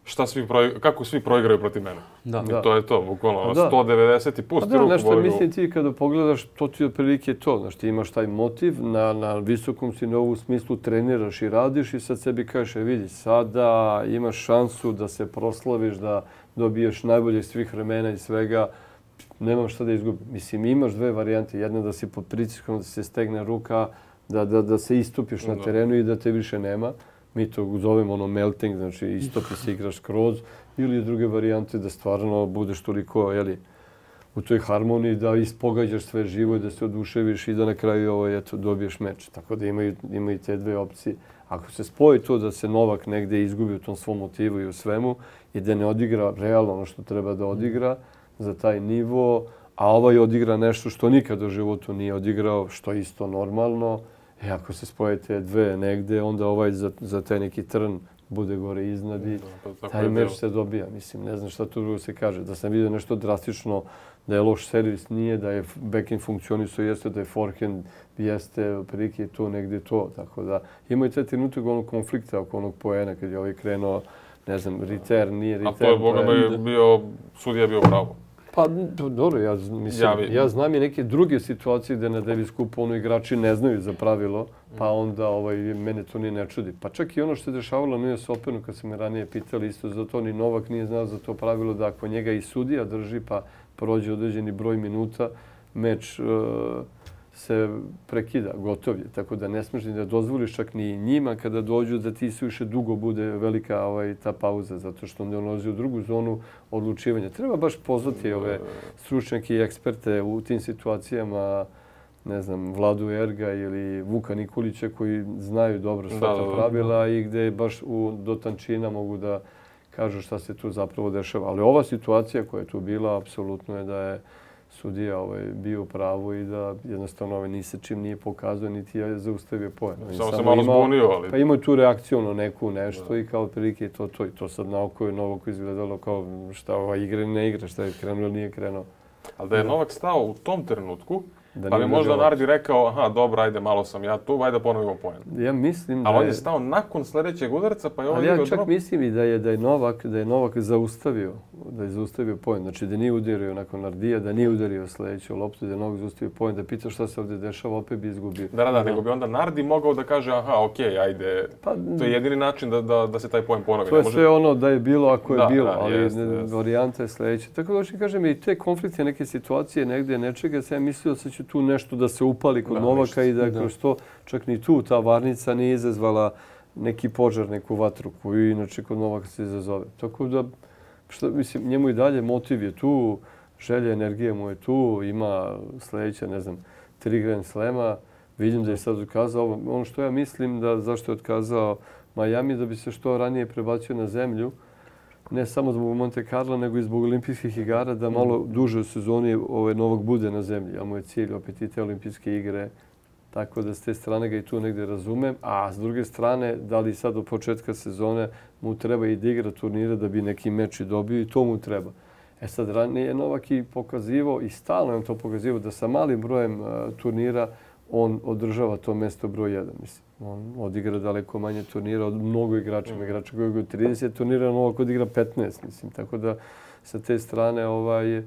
šta svi pro, kako svi proigraju protiv mene. Da. I to je to, bukvalno, sto devedeset i pusti da, ruku. Nešto, mislim ti kada pogledaš, to ti otprilike to. Znaš, ti imaš taj motiv, na, na visokom si na ovu smislu treniraš i radiš i sad sebi kažeš, e, vidi, sada imaš šansu da se proslaviš, da dobiješ najbolje svih vremena i svega, nemam šta da izgubim. Mislim, imaš dve varijante. Jedna da si pod pritiskom, da se stegne ruka, da, da, da se istupiš na terenu i da te više nema. Mi to zovemo ono melting, znači istopi se, igraš skroz. Ili druge varijante da stvarno budeš toliko, jeli, u toj harmoniji da ispogađaš sve živo i da se oduševiš i da na kraju ovo, eto, dobiješ meč. Tako da imaju, imaju te dve opcije. Ako se spoji to da se Novak negde izgubi u tom svom motivu i u svemu i da ne odigra realno ono što treba da odigra za taj nivo, a ovaj odigra nešto što nikad u životu nije odigrao, što je isto normalno, i ako se spoje te dve negde, onda ovaj za, za taj neki trn bude gore iznad i Da, taj meč se dobija. Mislim, ne znam šta tu drugo se kaže. Da sam vidio nešto drastično, da je loš servis, nije, da je backhand funkcionisao, jeste, da je forehand, jeste, prilike je to negdje to. Tako da ima i taj trenutak onog konflikta oko onog poena kad je ovaj krenuo, ne znam, return, nije return. A to je, boga me, bio, sudija bio pravo. Pa, dobro, ja, mislim, ja, ja znam i neke druge situacije gdje na Davis Cupu ono igrači ne znaju za pravilo, pa onda ovaj, mene to nije ne čudi. Pa čak i ono što je dešavalo na U S Openu, kad su me ranije pitali, isto za to ni Novak nije znao za to pravilo, da ako njega i sudija drži, pa prođe određeni broj minuta, meč uh, se prekida, gotov je. Tako da ne smiješ ni da dozvoliš čak ni njima kada dođu da ti suviše dugo bude velika ovaj, ta pauza, zato što onda ulazi u drugu zonu odlučivanja. Treba baš pozvati ove stručnjake i eksperte u tim situacijama, ne znam, Vladu Erga ili Vuka Nikolića koji znaju dobro sva ta pravila i gdje baš u, do tančina mogu da kažu šta se tu zapravo dešava. Ali ova situacija koja je tu bila, apsolutno je da je sudija ovaj, bio u pravu i da jednostavno ovaj, ni se čim nije pokazao, niti je zaustavio poen. Samo se malo zbunio, ali... Pa imao tu reakciju na neku nešto da. I kao prilike je to to. I to sad na oko je Novako izgledalo kao šta ova igra ili ne igra, šta je krenuo ili nije krenuo. Ali da je Novak stao u tom trenutku, da pa bi možda Nardi rekao, aha, dobro, ajde, malo sam ja tu, ajde ponovimo poen. Ja mislim da ali on je stao nakon sljedećeg udarca, pa je ovo... Ali ja čak mislim i da je, da je Novak, da je Novak zaustavio, da je zaustavio poen. Znači da nije udario nakon Nardija, da nije udario sljedeću loptu, da je Novak zaustavio poen, da pita šta se ovdje dešava, opet bi izgubio. Da, da, da, nego bi onda Nardi mogao da kaže, aha, okej, okay, ajde, pa, to je jedini način da, da, da se taj poen ponovi. To je sve ono da je bilo ako je da, bilo, da, ali jest, jest. Varijanta je sljedeća. Tako da hoću kažem i te konflikte, neke situacije, negdje nečega, sam mislio da će tu nešto da se upali kod da, Novaka i da kroz to čak ni tu ta varnica nije izazvala neki požar, neku vatru koju inače kod Novaka se izazove. Tako da, što, mislim, njemu i dalje motiv je tu, želja, energija mu je tu, ima sljedeća, ne znam, tri Grand Slema. Vidim da je sad otkazao ono što ja mislim da zašto je otkazao Miami, da bi se što ranije prebacio na zemlju. Ne samo zbog Monte Carlo, nego i zbog olimpijskih igara, da malo duže u sezoni ovaj Novak bude na zemlji. A mu je cilj opet i te olimpijske igre. Tako da s te strane ga i tu negdje razumem. A s druge strane, da li sad od početka sezone mu treba i da igra turnire da bi neki meč i dobio i to mu treba. E sad, ranije je Novak i pokazivao i stalno je on to pokazivao da sa malim brojem uh, turnira on održava to mjesto broj jedan. Mislim. On odigra daleko manje turnira od mnogo igrača. Mm. Igrača koji je trideset turnira, Novak odigra petnaest. Mislim. Tako da sa te strane ovaj,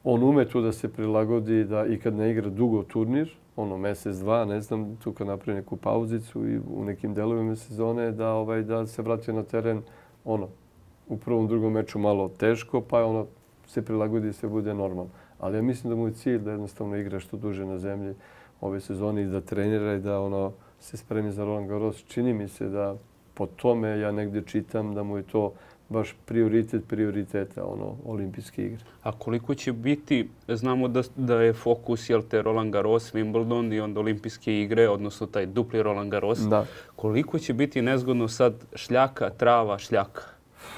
on ume tu da se prilagodi da i kad ne igra dugo turnir, ono mjesec, dva, ne znam, tu kad napravi neku pauzicu i u nekim delovima sezone, da, ovaj, da se vrati na teren ono, u prvom, drugom meču malo teško, pa ono se prilagodi i sve bude normalno. Ali ja mislim da mu je cilj da jednostavno igra što duže na zemlji ove sezone i da trenira i da ono se spremi za Roland Garros. Čini mi se da po tome ja negdje čitam da mu je to baš prioritet prioriteta, ono, olimpijske igre. A koliko će biti, znamo da, da je fokus, jel te, Roland Garros, Wimbledon i onda olimpijske igre, odnosno taj dupli Roland Garros. Da. Koliko će biti nezgodno sad šljaka, trava, šljaka?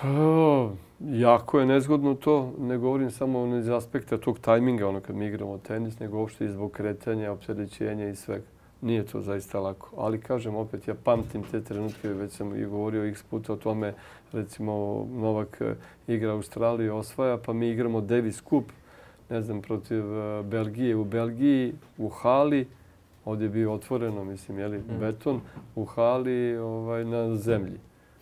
Oh, jako je nezgodno to. Ne govorim samo iz aspekta tog tajminga, ono kad mi igramo tenis, nego uopšte i zbog kretanja, opterećenja i svega. Nije to zaista lako. Ali kažem opet, ja pamtim te trenutke, već sam i govorio x puta o tome, recimo Novak igra Australiju, osvaja, pa mi igramo Davis Cup, ne znam, protiv Belgije u Belgiji, u hali, ovdje je bio otvoreno, mislim, jeli, mm. beton, u hali ovaj, na zemlji.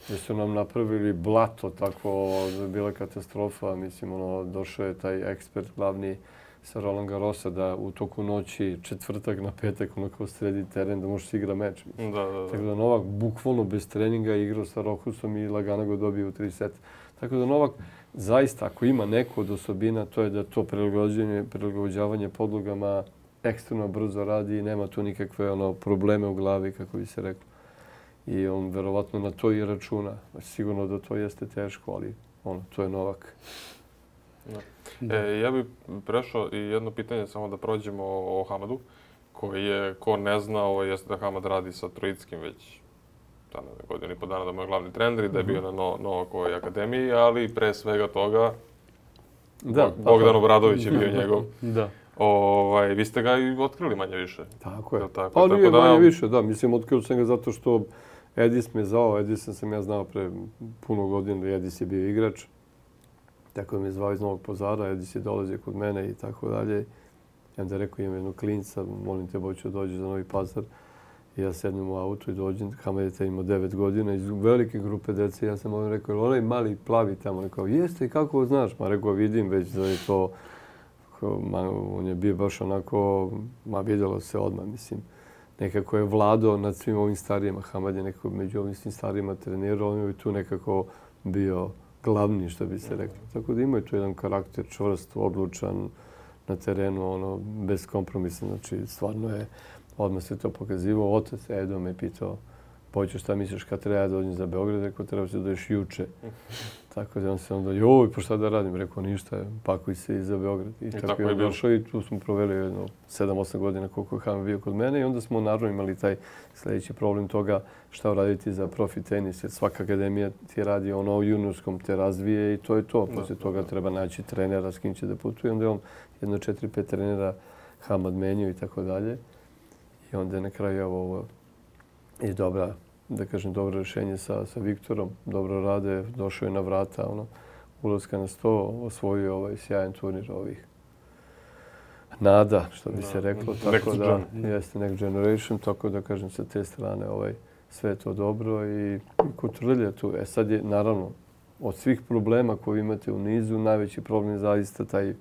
Gdje su nam napravili blato, tako, bila katastrofa, mislim, ono, došao je taj ekspert glavni sa Roland Garrosa da u toku noći, četvrtak na petak, ono kao sredi teren, da možeš igra meč. Da, da, da. Tako da Novak bukvalno bez treninga igrao sa Rochusom i lagano ga dobio u tri seta. Tako da Novak zaista, ako ima neku od osobina, to je da to prilagođavanje, prilagođavanje podlogama ekstremno brzo radi i nema tu nikakve ono, probleme u glavi, kako bi se reklo. I on verovatno na to i računa. Sigurno da to jeste teško, ali ono, to je Novak. E, ja bih prešao i jedno pitanje, samo da prođemo o, o Hamadu, koji je, ko ne zna, ovo jeste da Hamad radi sa Trojickim već godinu i po dana da mu je glavni trener i da je bio na no, Novakovoj akademiji, ali pre svega toga da, Bogdan Obradović je bio njegov. Da. Ovaj, vi ste ga i otkrili manje više. Tako je. Tako, pa tako nije da, manje više, da. Mislim, otkrio sam ga zato što Edis me zvao, Edisa sam ja znao pre puno godina, Edis je bio igrač. Tako da me zvao iz Novog Pazara, Edis je dolazio kod mene i tako dalje. I onda je rekao, imam jednog klinca, molim te, Boćo, dođi za Novi Pazar. I ja sednem u auto i dođem, Hamad je imao devet godina, iz velike grupe dece. Ja sam on rekao, onaj mali plavi tamo, rekao, jeste i kako znaš? Ma rekao, vidim već da je to, ma, on je bio baš onako, ma vidjelo se odmah, mislim. Nekako je vladao nad svim ovim starijima. Hamad je nekako među ovim svim starijima trenirao, on je tu nekako bio glavni, što bi se reklo. Tako da imaju tu jedan karakter čvrst, odlučan na terenu, ono, bez kompromisa. Znači, stvarno je, odmah se to pokazivao. Otac Edo me pitao, Boćo, šta misliš kad treba da dođem za Beograd? Rekao, treba se dođeš juče. Tako da on se onda, joj, pa šta da radim? Rekao, ništa, pakuj se i za Beograd. I, I tako, tako je došao i tu smo proveli jedno sedam osam godina koliko je Hamad bio kod mene. I onda smo naravno imali taj sljedeći problem toga šta uraditi za profi tenis. Jer svaka akademija ti radi ono u juniorskom, te razvije i to je to. Poslije da, toga da. treba naći trenera s kim će da putuje. Onda je on jedno četiri pet trenera Hamad menio i tako dalje. I onda je na kraju ovo i dobra, da kažem, dobro rješenje sa, sa Viktorom. Dobro rade, došao je na vrata, ono, ulazka na sto, osvojio ovaj sjajan turnir ovih nada, što bi se reklo. Tako da, jeste next generation, tako da kažem sa te strane ovaj, sve je to dobro i, i kotrlja tu. E sad je, naravno, od svih problema koje imate u nizu, najveći problem je zaista taj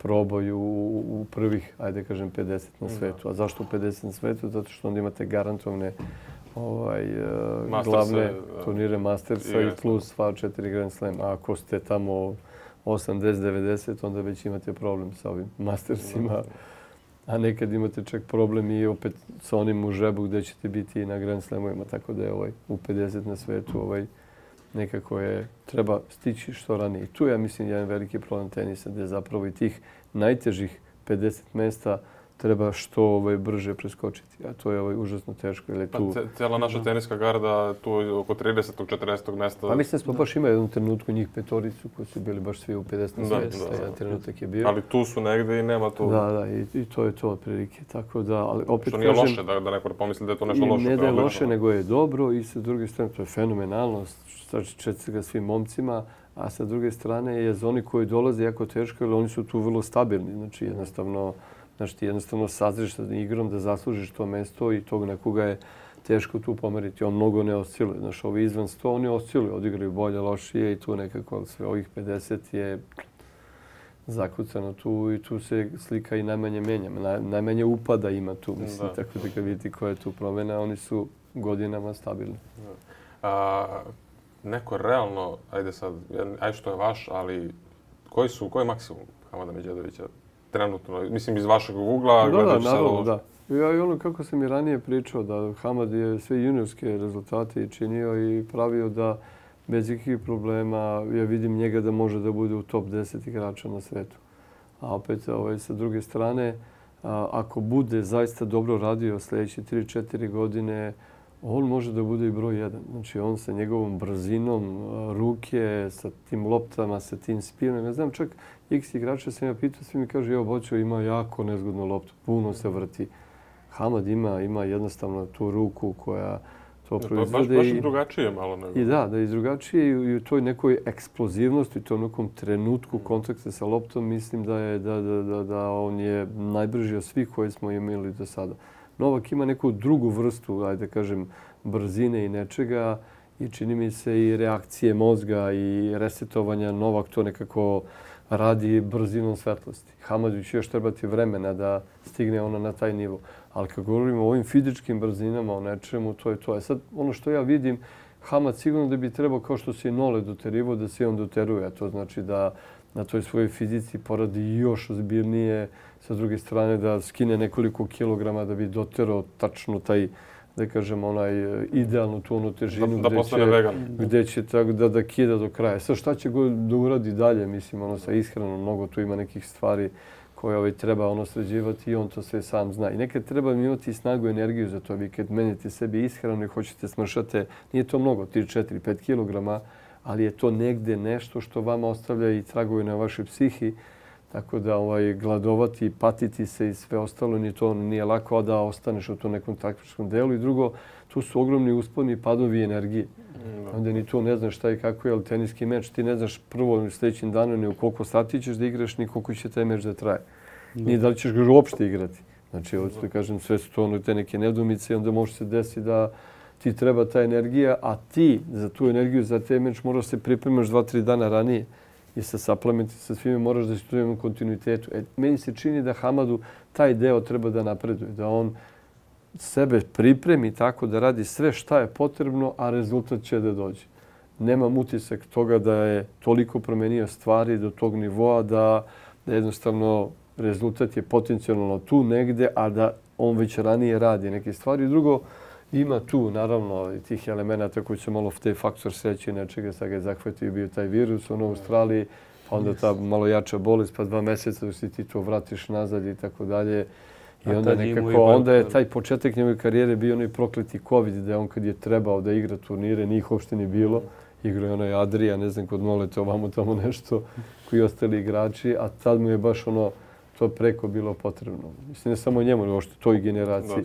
proboj u, u prvih, ajde kažem, pedeset na svetu. A zašto u pedeset na svetu? Zato što onda imate garantovane ovaj, uh, glavne turnire Mastersa i plus sva četiri Grand Slam. A ako ste tamo osamdeset devedeset, onda već imate problem sa ovim Mastersima. A nekad imate čak problem i opet sa onim u žebu gdje ćete biti i na Grand Slamovima. Tako da je ovaj, u pedeset na svetu ovaj, nekako je, treba stići što ranije. I tu je, ja mislim, jedan veliki problem tenisa gdje zapravo i tih najtežih pedeset mesta treba što ovaj, brže preskočiti. A to je ovaj, užasno teško. Jer je tu... Pa cijela naša teniska garda tu oko tridesetog četrdesetog mesta. Pa mislim da smo baš imali jednu trenutku njih petoricu koji su bili baš svi u pedeset mesta. Jedan trenutak je bio. Ali tu su negdje i nema tu... Da, da, i, i to je to otprilike. Tako da, ali opet što nije kažem, loše da, da neko pomisli da je to nešto loše. Ne da je loše, nego je dobro i sa druge strane to je fenomenalno. Četiri ga svim momcima. A sa druge strane je za oni koji dolaze jako teško, jer oni su tu vrlo stabilni. Znači, jednostavno, znači, ti jednostavno sazriš sa igrom da zaslužiš to mesto i tog nekoga je teško tu pomeriti. On mnogo ne osciluje. Znači, ovi izvan sto, oni osciluju, odigraju bolje, lošije i tu nekako sve ovih pedeset je zakucano tu i tu se slika i najmanje menja. Naj, najmanje upada ima tu, mislim, da. Tako da kad vidite koja je tu promjena, oni su godinama stabilni. A, neko realno, ajde sad, aj što je vaš, ali koji su, koji je maksimum Hamada Medjedovića trenutno? Mislim, iz vašeg ugla, da, gledajući da, sad naravno, ovo... Da, ja i ono kako sam i ranije pričao, da Hamad je sve juniorske rezultate činio i pravio da bez ikakvih problema ja vidim njega da može da bude u top deset igrača na svetu. A opet, ovaj, sa druge strane, a, ako bude zaista dobro radio sljedeće tri četiri godine, on može da bude i broj jedan. Znači, on sa njegovom brzinom ruke, sa tim loptama, sa tim spinom. Ja znam, čak x igrača sam ja pitao, svi mi kažu, evo, Boćo ima jako nezgodnu loptu, puno se vrti. Hamad ima, ima jednostavno tu ruku koja to proizvode. Baš, baš drugačije malo nego. I da, da je drugačije i u toj nekoj eksplozivnosti, u tom nekom trenutku kontakta sa loptom, mislim da je da, da, da, da on je najbrži od svih koji smo imali do sada. Novak ima neku drugu vrstu, ajde da kažem, brzine i nečega i čini mi se i reakcije mozga i resetovanja. Novak to nekako radi brzinom svetlosti. Hamadu će još trebati vremena da stigne ono na taj nivo. Ali kad govorimo o ovim fizičkim brzinama, o nečemu, to je to. E sad, ono što ja vidim, Hamad sigurno da bi trebao, kao što se i Nole doterivo, da se on doteruje. A to znači da na toj svojoj fizici poradi još ozbiljnije, sa druge strane da skine nekoliko kilograma da bi doterao tačno taj, da kažem, onaj idealnu tu onu težinu da, da gdje, će, gdje će tako da, da kida do kraja. Sad šta će go da uradi dalje, mislim, ono sa ishranom, mnogo tu ima nekih stvari koje ovaj, treba ono sređivati i on to sve sam zna. I nekad treba imati snagu i energiju za to. Vi kad menite sebi ishranu i hoćete smršate, nije to mnogo, tri četiri pet kilograma, ali je to negde nešto što vama ostavlja i traguje na vašoj psihi. Tako da ovaj, gladovati i patiti se i sve ostalo, ni to nije lako, a da ostaneš u tom nekom takmičkom delu. I drugo, tu su ogromni usponi i padovi energije. Mm, onda ni to ne znaš šta i kako je, ali teniski meč, ti ne znaš prvo u sljedećim danu ni u koliko sati ćeš da igraš, ni koliko će taj meč da traje. Mm. Ni da li ćeš ga uopšte igrati. Znači, ovo što kažem, sve su to ono, te neke nedumice i onda može se desiti da ti treba ta energija, a ti za tu energiju, za taj meč moraš se pripremaš dva, tri dana ranije i sa suplementi, sa svime moraš da si tu imam kontinuitetu. E, meni se čini da Hamadu taj deo treba da napreduje, da on sebe pripremi tako da radi sve šta je potrebno, a rezultat će da dođe. Nemam utisak toga da je toliko promenio stvari do tog nivoa da, da jednostavno rezultat je potencijalno tu negde, a da on već ranije radi neke stvari. Drugo, ima tu, naravno, tih elemenata koji su malo taj faktor sreće nečega, sad ga je zahvatio bio taj virus u Australiji, pa onda ta malo jača bolest, pa dva mjeseca da si ti to vratiš nazad i tako dalje. I onda nekako, onda je taj početak njegove karijere bio onaj prokleti COVID, da je on kad je trebao da igra turnire, njih uopšte ni bilo. Igrao je onaj Adrija, ne znam, kod Molete, ovamo tamo nešto, koji ostali igrači, a tad mu je baš ono, to preko bilo potrebno. Mislim, ne samo njemu, nego što toj generaciji.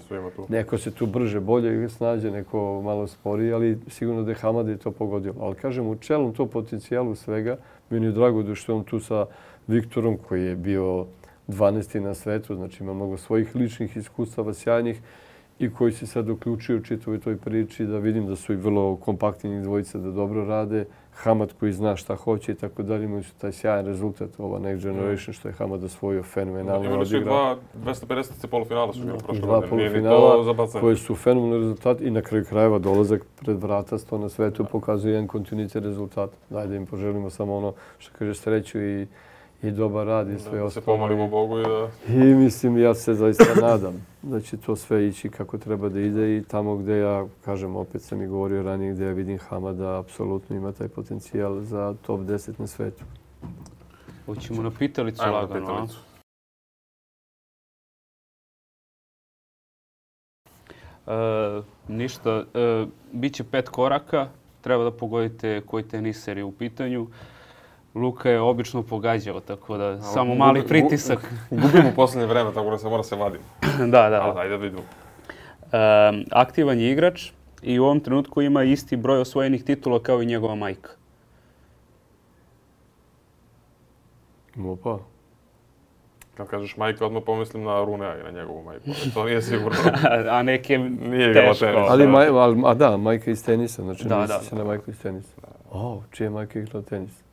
Neko se tu brže, bolje snađe, neko malo sporiji, ali sigurno da je Hamada i to pogodilo. Ali kažem, u čelom to potencijalu svega, meni je drago da što je on tu sa Viktorom, koji je bio dvanaesti na svetu, znači ima mnogo svojih ličnih iskustava, sjajnih, i koji se sad uključuju u čitavoj toj priči, da vidim da su i vrlo kompaktni dvojice, da dobro rade. Hamad koji zna šta hoće i tako dalje, imaju su taj sjajan rezultat, ova Next Generation, što je Hamad osvojio fenomenalno odigrao. Imali su i dva dvesta pedeset polufinala su igrali prošle godine. Dva polufinala koji su fenomenalni rezultati i na kraju krajeva dolazak pred vrata sto na svetu pokazuje jedan kontinuitet rezultata. Daj da im poželimo samo ono što kaže sreću i i dobar rad i sve ostalo. Da se pomolimo Bogu i da... I mislim, ja se zaista nadam da će to sve ići kako treba da ide i tamo gdje ja, kažem, opet sam i govorio ranije, gdje ja vidim Hamada, apsolutno ima taj potencijal za top deset na svetu. Hoćemo na pitalicu lagano, a? Ništa. Biće pet koraka. Treba da pogodite koji teniser je u pitanju. Luka je obično pogađao, tako da samo mali pritisak. Gubimo u posljednje vreme, tako da se mora se vaditi. Da, da. Ajde da vidimo. Aktivan je igrač i u ovom trenutku ima isti broj osvojenih titula kao i njegova majka. Opa. Kad kažeš majka, odmah pomislim na Runea i na njegovu majku. To nije sigurno. A neke nije teško. Ali, maj, ali, a da, majka iz tenisa. Znači, da, misli da. se na majku iz tenisa. O, čija majka igrala tenis?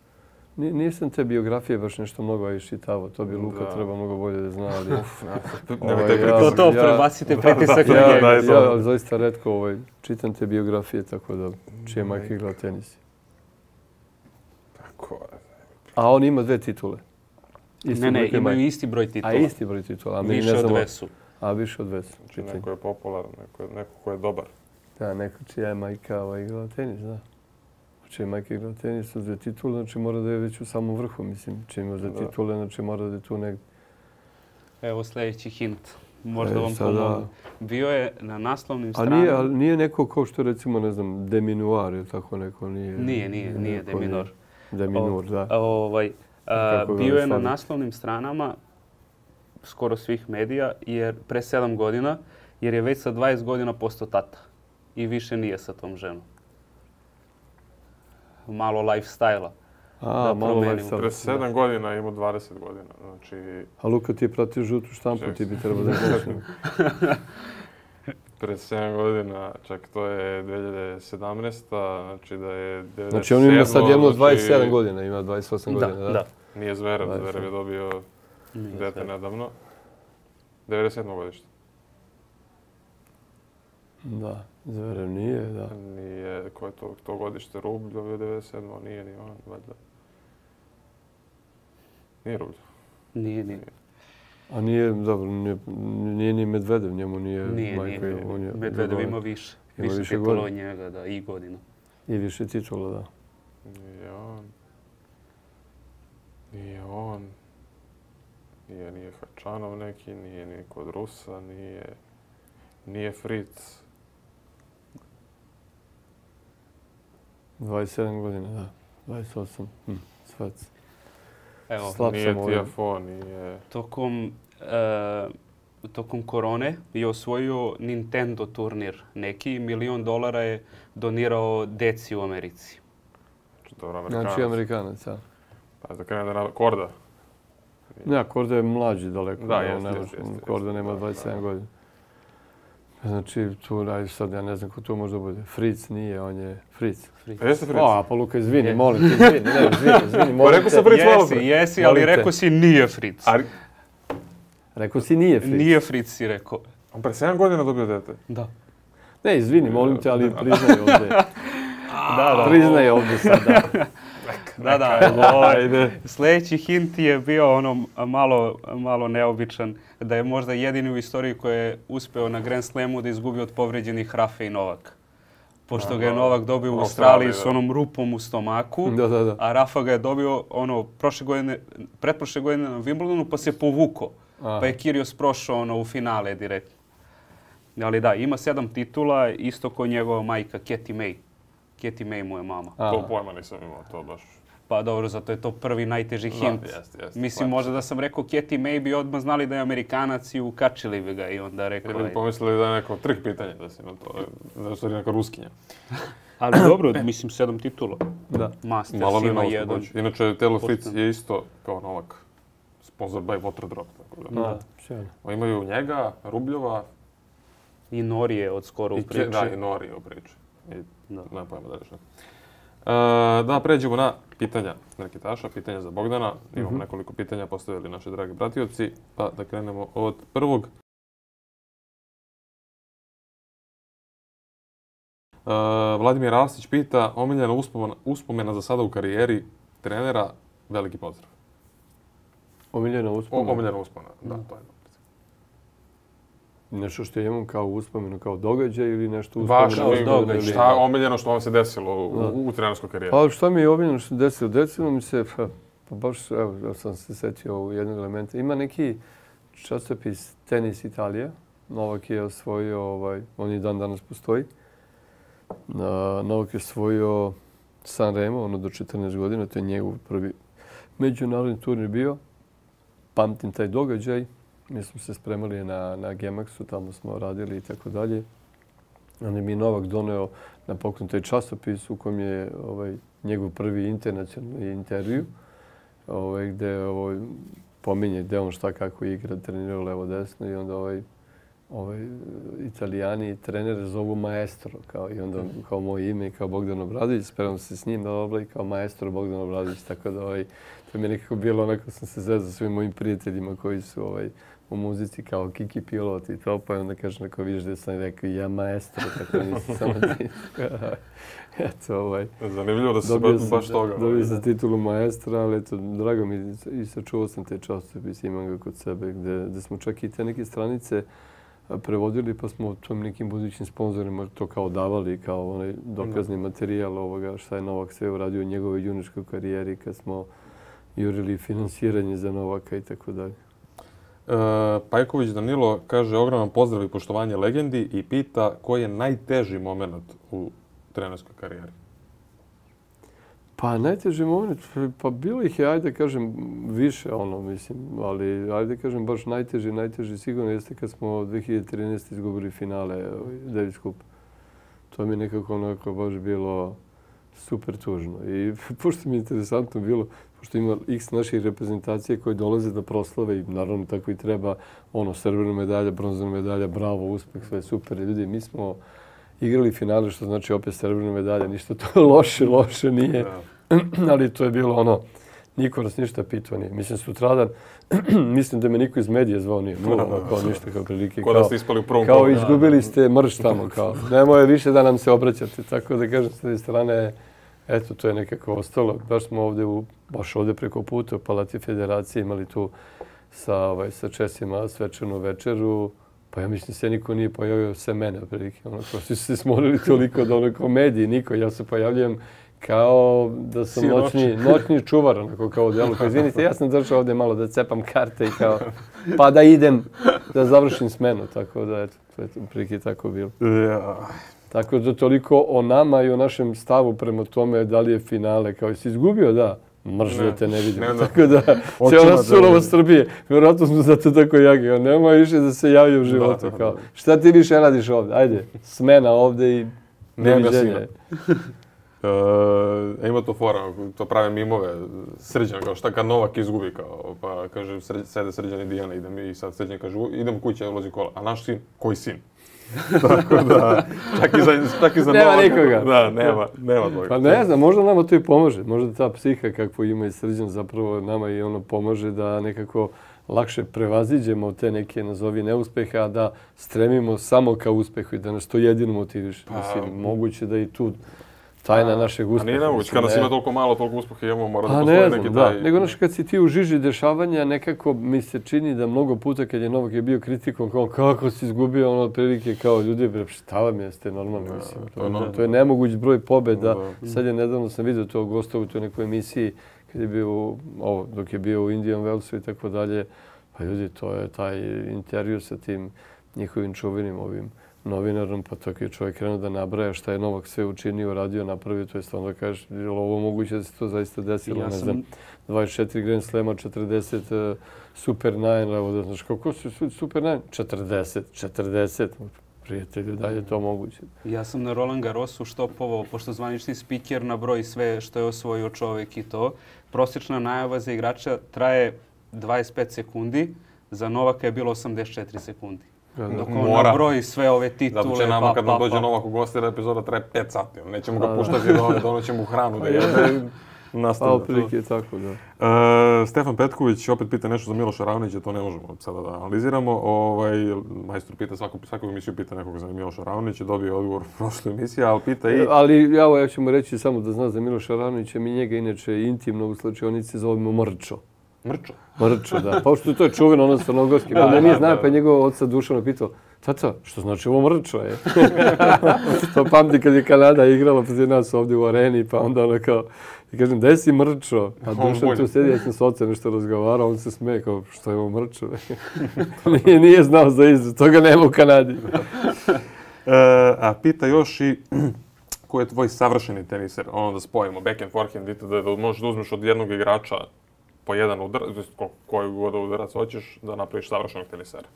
Nisam te biografije baš nešto mnogo iščitavao. To bi Luka da. Treba mnogo bolje da zna. Ali, Uf, ovaj, ja, to to, prebacite pritisak na ja, njega. Ja, ja, ja, zaista retko ovaj, čitam te biografije, tako da čija majka igrala tenis. Tako je. A on ima dve titule. Isti ne, ne, imaju majka. Isti broj titula. A isti broj titula. A više od Vesu. A više od Vesu. Čitaj. Neko je popularan, neko, neko ko je dobar. Da, neko čija je majka ovaj, igrala tenis, da. Čija je majka igrala tenis uz dve titule, znači mora da je već u samom vrhu, mislim. Čija ima za titule, znači mora da je tu negdje. Evo sljedeći hint. Možda e, vam pomogu. Bio je na naslovnim stranama. A nije, ali nije neko kao što recimo, ne znam, Deminuar ili tako neko? Nije, nije, nije, nije Deminor. Deminur, da. Ovaj, a, bio je na naslovnim stranama skoro svih medija jer pre sedam godina, jer je već sa dvadeset godina postao tata. I više nije sa tom ženom. Malo lifestyle-a. A, malo lifestyle. Pre sedam godina ima dvadeset godina. Znači... A Luka, ti je pratio žutu štampu, ti bi trebao da znaš. Pre sedam godina, čak to je dvije hiljade sedamnaesta. Znači da je devedeset sedam. Znači on ima sad jedno dvadeset sedam godina, ima dvadeset osam godina, da? Da. Nije Zverev, Zverev je dobio dete nedavno. devedeset sedmo godište. Da, Zverev nije, da. Nije, ko je to, to godište? Rublj dobio devedeset sedmo, nije ni on, valjda. Nije Rublj. Nije, nije. A nije, dobro, nije, nije ni Medvedev, njemu nije, nije majka. Nije, on je, Medvedev ima više. Ima više, više titula od njega, da, i godina. I više titula, da. Nije on. Nije on. Nije, nije Hačanov neki, nije ni kod Rusa, nije... Nije Fritz. dvadeset sedam godina, da. dvadeset osam. Hm, svac. Evo, slab Nije sam ovdje. T F O, nije... tokom, e, tokom korone je osvojio Nintendo turnir neki. Milion dolara je donirao deci u Americi. Dobro, Amerikanac. Znači Amerikanac, ja. Pa da krene da na Korda. Ne, Korda je mlađi daleko. Da, no, jeste, nema- jeste, jeste, Korda jeste, nema da, dvadeset sedam da. godina. Znači, tu, aj sad, ja ne znam ko to možda bude. Fritz nije, on je Fritz. A jeste Fritz? O, pa Luka, izvini, Je. molim te, izvini, ne, izvini, izvini, molim rekao te. sam Fritz malo Jesi, pre. jesi, ali Molim te. rekao si nije Fritz. Ali, Rekao si nije Fritz. Nije Fritz si rekao. on pre sedam godina dobio dete. Da. Ne, izvini, molim te, ali priznaj ovdje. Da, da. Priznaj ovdje sada. Da, da. Ovaj, sljedeći hint je bio ono malo, malo neobičan, da je možda jedini u istoriji koji je uspeo na Grand Slamu da izgubi od povređenih Rafe i Novak. Pošto ga je Novak dobio u U Australiji Australiji, s da. onom rupom u stomaku, Da, da, da. a Rafa ga je dobio ono prošle godine, pretprošle godine na Wimbledonu pa se povuko. Aha. Pa je Kyrgios prošao ono u finale direktno. Ali da, ima sedam titula, isto kao njegova majka Katie May. Katie May mu je mama. A, To pojma nisam imao, to baš... Pa dobro, zato je to prvi najteži hint. Da, jeste, jeste. Mislim, Pa, možda da sam rekao Katie May bi odmah znali da je Amerikanac i ukačili bi ga i onda rekao... Ili bi ajde. pomislili da je neko trik pitanje, da si na to, da je u stvari neka ruskinja. Ali dobro, mislim, sedam titula. da. Masters Malo bi ima malo jedan. jedan. Inače, Taylor Fritz Pošteno. je isto kao Novak. Sponsor by Waterdrop. Tako da. Da, sjajno. O, imaju njega, Rubljova I Nori je od skoro u i, Ke- priči. da, i Nori je u priči. I, Da. nema pojma da šta. E, da, pređemo na pitanja Reketaša, pitanja za Bogdana. Imamo nekoliko pitanja postavili naši dragi pratioci, pa da krenemo od prvog. E, Vladimir Arsić pita, omiljena uspomena, uspomena za sada u karijeri trenera, veliki pozdrav. Omiljena O, uspomena. omiljena uspomena, da, to je. Nešto što imam kao uspomenu, kao događaj ili nešto Vaš uspomenu? Vaš događaj. šta omiljeno što vam se desilo u, Da. u, u trenerskoj karijeri? Pa šta mi je omiljeno što se desilo? Desilo mi se, pa, pa baš, evo, ja sam se setio u jednog elementa. Ima neki časopis Tenis Italija. Novak je osvojio, ovaj, on i dan danas postoji. Na, Novak je osvojio San Remo, ono do četrnaest godina, to je njegov prvi međunarodni turnir bio. Pamtim taj događaj. Mi smo se spremali na, na Gemaxu, tamo smo radili i tako dalje. Onda mi je Novak doneo na poklon taj časopis u kojem je ovaj, njegov prvi internacionalni intervju, ovaj, gde ovaj, pominje gde on šta kako igra, trenirao levo desno i onda ovaj, ovaj, Italijani trenere zovu maestro, kao, i onda kao moje ime, kao Bogdan Obradović, spremam se s njim, da i kao maestro Bogdan Obradović, tako da ovaj, to mi je nekako bilo onako sam se zezao svim mojim prijateljima koji su ovaj, u muzici kao Kiki Pilot i to, pa onda kažem ako vidiš da sam rekao ja maestro, tako nisam samo ti. Eto, ovaj. Zanimljivo da se Dobio baš, sam, baš toga. dobio sam titulu maestra, ali eto, drago mi i sačuvao sam te časopis, imam ga kod sebe, gde, gde smo čak i te neke stranice prevodili, pa smo tom nekim budućim sponzorima to kao davali, kao onaj dokazni materijal ovoga šta je Novak sve uradio u njegovoj juniorskoj karijeri kad smo jurili finansiranje za Novaka i tako dalje. E, Pajković Danilo kaže ogroman pozdrav i poštovanje legendi i pita koji je najteži moment u trenerskoj karijeri. Pa najteži moment, pa bilo ih je, ajde kažem, više ono, mislim, ali ajde kažem baš najteži, najteži sigurno jeste kad smo dvije hiljade trinaeste. izgubili finale ovaj, Davis Cup. To mi je nekako onako baš bilo super tužno. I pošto mi je interesantno bilo, pošto ima x naših reprezentacije koje dolaze da proslave i naravno tako i treba, ono, srebrna medalja, bronzana medalja, bravo, uspeh, sve super. Ljudi, mi smo igrali finale, što znači opet srebrna medalja, ništa to loše, loše nije. Ali to je bilo ono, niko nas ništa pitao nije. Mislim, sutradan, mislim da me niko iz medija zvao nije. Nula, ono, kao ništa, kao prilike. Ko da ste ispali u prvom Kao kolu. izgubili ste mrš tamo, kao. Nemoj više da nam se obraćate. Tako da kažem, s te strane, eto, to je nekako ostalo. Baš smo ovdje, u, baš ovdje preko puta u Palati Federacije imali tu sa, ovaj, sa Česima svečanu večeru. Pa ja mislim se niko nije pojavio sve mene, otprilike. Ono, kao svi su se smorili toliko da ono kao mediji, niko. Ja se pojavljujem kao da sam noćni, noćni čuvar, onako kao u delu. Kao, izvinite, ja sam došao ovdje malo da cepam karte i kao, pa da idem da završim smenu. Tako da, eto, to je otprilike tako bilo. Ja. Tako da toliko o nama i o našem stavu prema tome da li je finale. Kao jesi izgubio, da. mržu da te ne vidim. Ne, da. Tako da, cijela surova Srbije, vjerojatno smo zato tako jaki, nema više da se javlja u životu. Da, Kao, da. šta ti više radiš ovdje? Ajde, smena ovdje i neviđenje. Uh, ima to fora, to prave mimove, Srđan, kao šta kad Novak izgubi, kao, pa kaže, sred, sede Srđan i Dijana, idem i sad Srđan kaže, idem kuće, ulazi kola, a naš sin, koji sin? Tako da, čak i za, čak i za nema Novaka, nikoga. Da, nema, nema toga. Pa ne znam, možda nama to i pomaže, možda ta psiha kakvu ima i Srđan zapravo nama i ono pomaže da nekako lakše prevaziđemo te neke, nazovi, neuspehe, a da stremimo samo ka uspehu i da nas to jedino motiviše. Pa, mislim, moguće da i tu tajna našeg uspeha. A nije nemoguće, kada nas ima toliko malo, toliko uspeha imamo, mora da pa postoji ne neki znam, taj... Da. Nego, znaš, kad si ti u žiži dešavanja, nekako mi se čini da mnogo puta kad je Novak je bio kritikom, kao kako si izgubio, ono, otprilike kao ljudi, bre, šta vam jeste normalno, mislim. To, to, to je nemoguć broj pobjeda. Da. Sad je nedavno sam vidio to gostovu u toj nekoj emisiji, kad je bio, ovo, dok je bio u Indian Wellsu i tako dalje. Pa ljudi, to je taj intervju sa tim njihovim čuvenim ovim novinarom, pa tako je čovjek krenuo da nabraja šta je Novak sve učinio, radio, napravio, to je stvarno da kažeš, je li ovo moguće da se to zaista desilo, ja ne sam... znam, dvadeset četiri Grand Slema, četrdeset uh, Super Nine, evo da znaš, kako su Super Nine? četrdeset, četrdeset, prijatelju, da je to moguće. Ja sam na Roland Garrosu štopovao, pošto zvanični spiker nabroji sve što je osvojio čovjek i to. Prosječna najava za igrača traje dvadeset pet sekundi, za Novaka je bilo osamdeset četiri sekundi. Dok on nabroji sve ove titule, zato će nama pa, kad pa, nam dođe pa. Novak u goste, epizoda traje pet sati. Nećemo ga puštati da donoćemo mu hranu, da je nastavlja. Pa, otprilike je tako, da. Uh, Stefan Petković opet pita nešto za Miloša Ravnića, to ne možemo sada da analiziramo. Ovaj, majstor pita, svaku, svaku emisiju pita nekog za Miloša Ravnića, dobio odgovor u prošloj emisiji, ali pita i... Ali ja, ja ću mu reći samo da zna za Miloša Ravnića, mi njega inače intimno u slačionici zovemo Mrčo. Mrčo? Mrčo, da. Pa što to je čuveno, ono crnogorski. Pa da nije znao, pa je njegov oca Dušano pitao, tata, što znači ovo Mrčo je? To pamti kad je Kanada igrala protiv nas ovdje u areni, pa onda ono kao, i kažem, gdje si Mrčo? A Dušan tu sedi, ja sam s ocem nešto razgovarao, on se smeje kao, što je ovo Mrčo? nije, nije znao za izraz, toga nema u Kanadi. e, a pita još i ko je tvoj savršeni teniser? Ono da spojimo backhand, forehand, da, da možeš da uzmeš od jednog igrača po jedan udarac, koji god udarac hoćeš, da napraviš savršenog tenisera.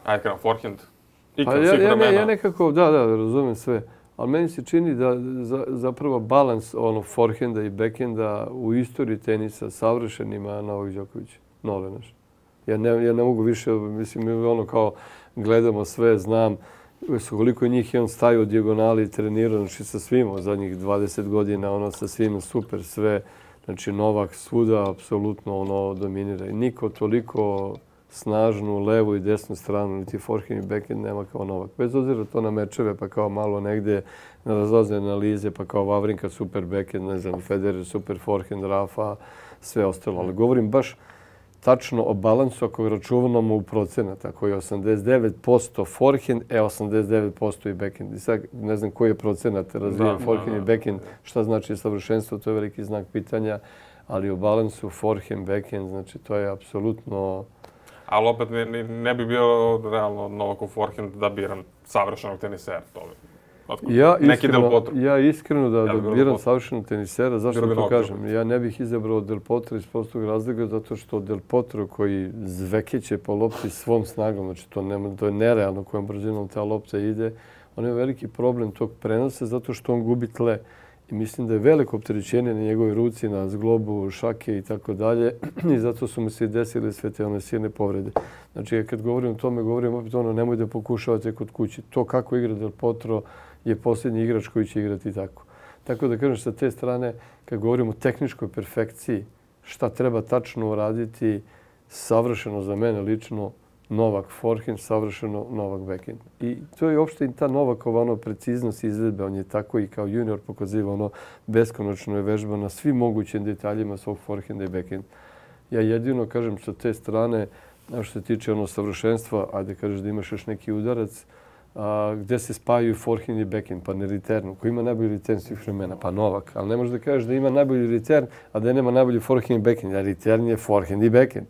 Ajde krenam, forehand. Pa ja, ja, ne, ja nekako, da, da, razumijem sve. Ali meni se čini da za, zapravo balans ono, forehanda i backhanda u istoriji tenisa savršen ima Novak Đoković. Nole naš. Ja ne, ja ne mogu više, mislim, ono kao gledamo sve, znam koliko je njih je on stajao u dijagonali i trenirao, znači sa svima od zadnjih dvadeset godina, ono sa svima super sve. Znači Novak svuda apsolutno ono dominira i niko toliko snažnu levu i desnu stranu, niti forehand i backhand nema kao Novak. Bez obzira to na mečeve, pa kao malo negdje na razlazne analize, pa kao Wawrinka super backhand, ne znam, Federer super forehand, Rafa, sve ostalo. Ali govorim baš tačno o balansu ako računamo u procenata, koji je osamdeset devet posto forehand, e osamdeset devet posto i backhand. I sad ne znam koji je procenat razvijen forehand i backhand, šta znači savršenstvo, to je veliki znak pitanja, ali u balansu forehand, backhand, znači to je apsolutno... Ali opet ne, ne bi bio realno Novakov forehand da biram savršenog tenisera. To ja iskreno, ja iskreno da, ja da biram savršenog tenisera, zašto to kažem? Ja ne bih izabrao Del Potro iz prostog razloga zato što Del Potro koji zvekeće po lopti svom snagom, znači to, nema, to je nerealno kojom brzinom ta lopta ide, on je veliki problem tog prenosa zato što on gubi tle. I mislim da je veliko opterećenje na njegovoj ruci, na zglobu, šake i tako dalje. I zato su mu se i desile sve te one silne povrede. Znači, kad govorim o tome, govorim opet ono, nemoj da pokušavate kod kući. To kako igra Del Potro je posljednji igrač koji će igrati tako. Tako da kažem, sa te strane, kad govorimo o tehničkoj perfekciji, šta treba tačno uraditi, savršeno za mene lično, Novak forehand, savršeno Novak backhand. I to je uopšte i ta Novakova ono, preciznost izvedbe. On je tako i kao junior pokazivao ono beskonačno je vežba na svim mogućim detaljima svog forehanda i backhanda. Ja jedino kažem sa te strane, što se tiče ono savršenstva, ajde kažeš da imaš još neki udarac, a, gdje se spajaju forehand i backhand, pa ne returnu. Ko ima najbolji return svih vremena? Pa Novak. Ali ne možeš da kažeš da ima najbolji return, a da nema najbolji forehand i backhand. A return je forehand i backhand.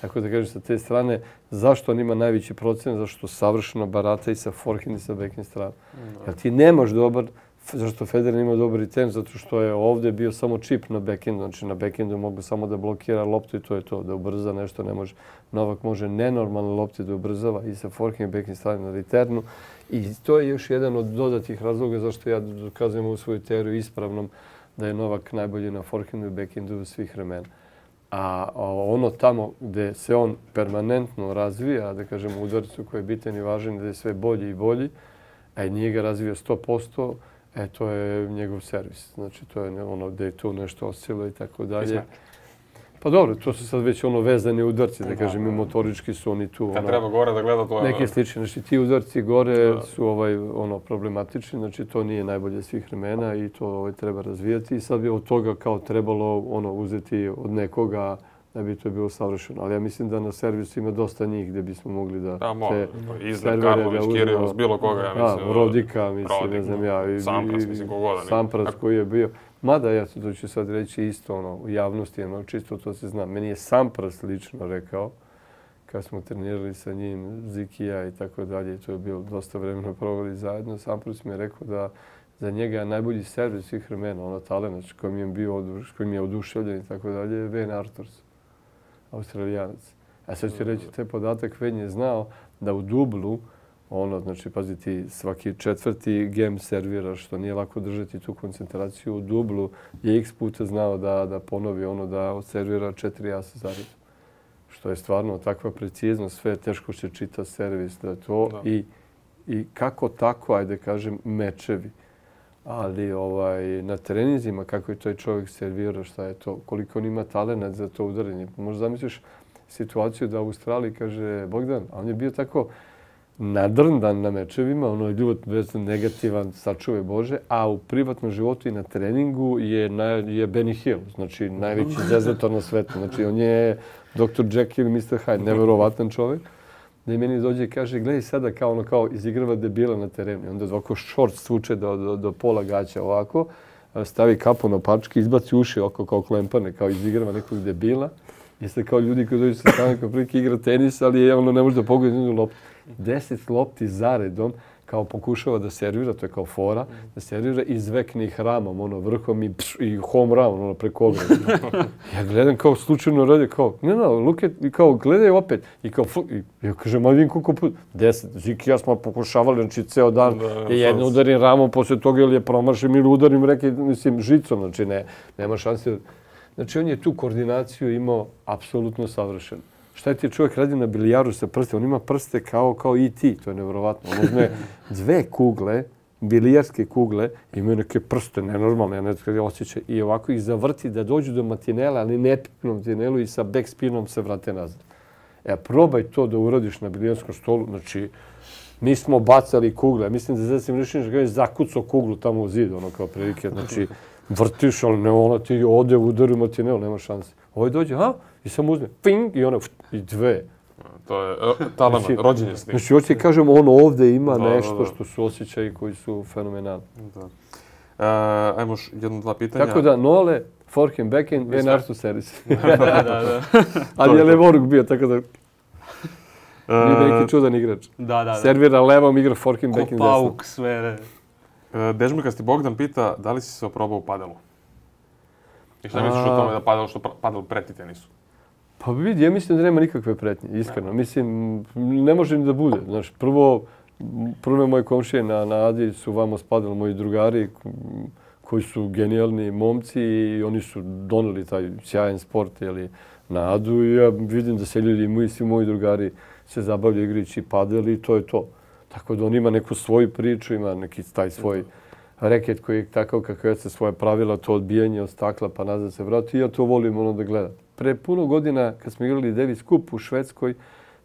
Tako da kažem sa te strane, zašto on ima najveći procent? Zašto savršeno barata i sa forehand i sa backhand strana. Jer ti nemaš dobar Zašto Federer ima dobri tenis? Zato što je ovdje bio samo čip na backhandu. Znači na backhandu mogu samo da blokira loptu i to je to. Da ubrza nešto ne može. Novak može nenormalne lopte da ubrzava i sa forehand i backhand stavlja na returnu. I to je još jedan od dodatih razloga zašto ja dokazujem u svoju teoriju ispravnom da je Novak najbolji na forehandu i backhandu svih vremena. A ono tamo gdje se on permanentno razvija, da kažemo u udarcu koji je bitan i važan, gdje je sve bolji i bolji, a i nije ga razvio sto posto, e, to je njegov servis. Znači, to je ono gdje je tu nešto oscilo i tako dalje. Pa dobro, to su sad već ono vezani udarci, da kažem, i motorički su oni tu. Kad treba gore da gleda, to je... Neke slične. Znači, ti udarci gore su ovaj, ono, problematični, znači to nije najbolje svih vremena i to ovaj, treba razvijati. I sad bi od toga kao trebalo ono, uzeti od nekoga da bi to bilo savršeno. Ali ja mislim da na servisu ima dosta njih gdje bismo mogli da... Da, može. Izred, Karlović, Kirilos, bilo koga, ja mislim. Da, Rodika, mislim, ne znam ja. Sampras, mislim, kogoda. Sampras koji je bio. Mada, ja to ću sad reći isto ono, u javnosti, ono, čisto to se zna. Meni je Sampras lično rekao, kad smo trenirali sa njim, Zikija i tako dalje, to je bilo dosta vremena proveli zajedno. Sampras mi je rekao da za njega je najbolji servis svih vremena, ono talent kojim je bio kojim je oduševljen i tako dalje, je Wayne Arthurs, Australijanac. A sad ću reći, taj podatak Wayne je znao da u dublu, ono, znači, pazi ti, svaki četvrti game servira, što nije lako držati tu koncentraciju u dublu, je x puta znao da, da ponovi ono, da servira četiri asa zaredom. Što je stvarno takva preciznost, sve teško se čita servis, da je to da. I, i kako tako, ajde kažem, mečevi. Ali ovaj, na treninzima, kako je taj čovjek servirao, šta je to, koliko on ima talent za to udaranje. Možda zamisliš situaciju da u Australiji kaže Bogdan, a on je bio tako nadrndan na mečevima, ono je ljud negativan, sačuvaj Bože, a u privatnom životu i na treningu je, na, je Benny Hill, znači najveći zezator na svetu. Znači on je doktor Jekyll i mister Hyde, neverovatan čovjek. Da i meni dođe i kaže, gledaj sada kao ono kao izigrava debila na terenu. Onda ovako šort svuče do, do, do pola gaća ovako, stavi kapu na pački, izbaci uši oko kao klempane, kao izigrava nekog debila. Jeste kao ljudi koji dođu sa strane kao prilike igra tenis, ali je ono ne može da pogodi jednu loptu. Deset lopti zaredom kao pokušava da servira, to je kao fora, da servira izvekne ih ramom, ono vrhom i, pš, i home run, ono preko ograda. Ja gledam kao slučajno radi, kao, ne, ne, look at, i kao gledaj opet. I kao, i, ja kažem, ali vidim koliko put, deset. Ziki ja smo pokušavali, znači ceo dan, da, jedno udarim ramom, posle toga ili je promašim ili udarim reke, mislim, žicom, znači ne, nema šanse. Znači on je tu koordinaciju imao apsolutno savršeno. Šta ti čovjek radi na bilijaru sa prste? On ima prste kao kao E T, to je nevjerovatno. On uzme dve kugle, bilijarske kugle, imaju neke prste nenormalne, ja ne znam kada osjećaj, i ovako ih zavrti da dođu do matinela, ali ne pipnom matinelu i sa backspinom se vrate nazad. E, probaj to da uradiš na bilijarskom stolu. Znači, mi smo bacali kugle. Mislim da Zvezda Simrišinić ga je zakucao kuglu tamo u zid, ono kao prilike. Znači, vrtiš, ali ne ona ti ode u udaru matinelu, nema šanse. Ovo dođe, ha? I samo uzme, ping, i ona, i dve. To je talent, znači, rođenje s tim. Znači, hoće ti kažem, on ovdje ima da, nešto da, da. Što su osjećaji koji su fenomenalni. Da. Uh, ajmo još jedno, dva pitanja. Tako da, Nole, forehand, backhand, Wayne Arthurs servis. da, da, da. Ali je levoruk bio, tako da... Nije neki čudan igrač. Da, da, da. Servira levom, igra forehand, backhand, desno. Ko pauk, sve. Uh, Dežmikasti Bogdan pita, da li si se oprobao u padelu? I šta misliš o tome da padel, što padel preti tenisu? Pa vidi, ja mislim da nema nikakve pretnje, iskreno. Ja. Mislim, ne može ni da bude. Znaš, prvo, prve moje komšije na, na Adi su vamo spadali moji drugari koji su genijalni momci i oni su doneli taj sjajan sport jeli, na Adu i ja vidim da se ljudi moji, svi moji drugari se zabavljaju igrajući padel i to je to. Tako da on ima neku svoju priču, ima neki taj svoj reket koji je takav kako je se svoje pravila, to odbijanje od stakla pa nazad se vrati. I ja to volim ono da gledam. Pre puno godina kad smo igrali Davis Cup u Švedskoj,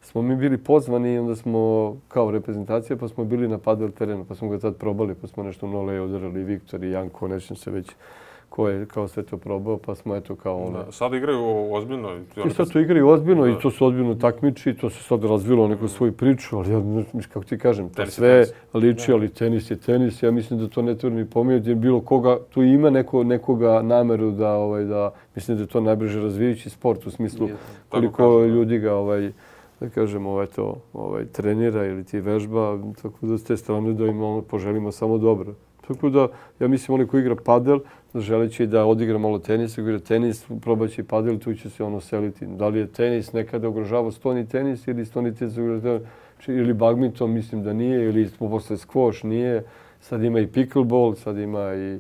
smo mi bili pozvani i onda smo kao reprezentacija pa smo bili na padel terenu. Pa smo ga tad probali, pa smo nešto Nole udarali, Viktor i Janko, nećem se već ko je kao sve to probao, pa smo eto kao ono... Da, sad igraju ozbiljno. I sad to igraju ozbiljno da. I to su ozbiljno takmiči, to se sad razvilo neku svoju priču, ali ja, kako ti kažem, to tenis sve tenis. Liči, ali tenis je tenis. Ja mislim da to ne treba ni pomijeniti, jer bilo koga, tu ima neko, nekoga nameru da, ovaj, da, mislim da je to najbrže razvijajući sport u smislu koliko kažem, ljudi ga, ovaj, da kažem, ovaj, to, ovaj, trenira ili ti vežba, tako da s te strane da im ono, poželimo samo dobro. Tako da, ja mislim, onaj ko igra padel, želeći da odigra malo tenisa, igra tenis, probaće i padel, tu će se ono seliti. Da li je tenis nekada ugrožavao stoni tenis ili stoni tenis ili badminton, mislim da nije, ili posle squash nije. Sad ima i pickleball, sad ima i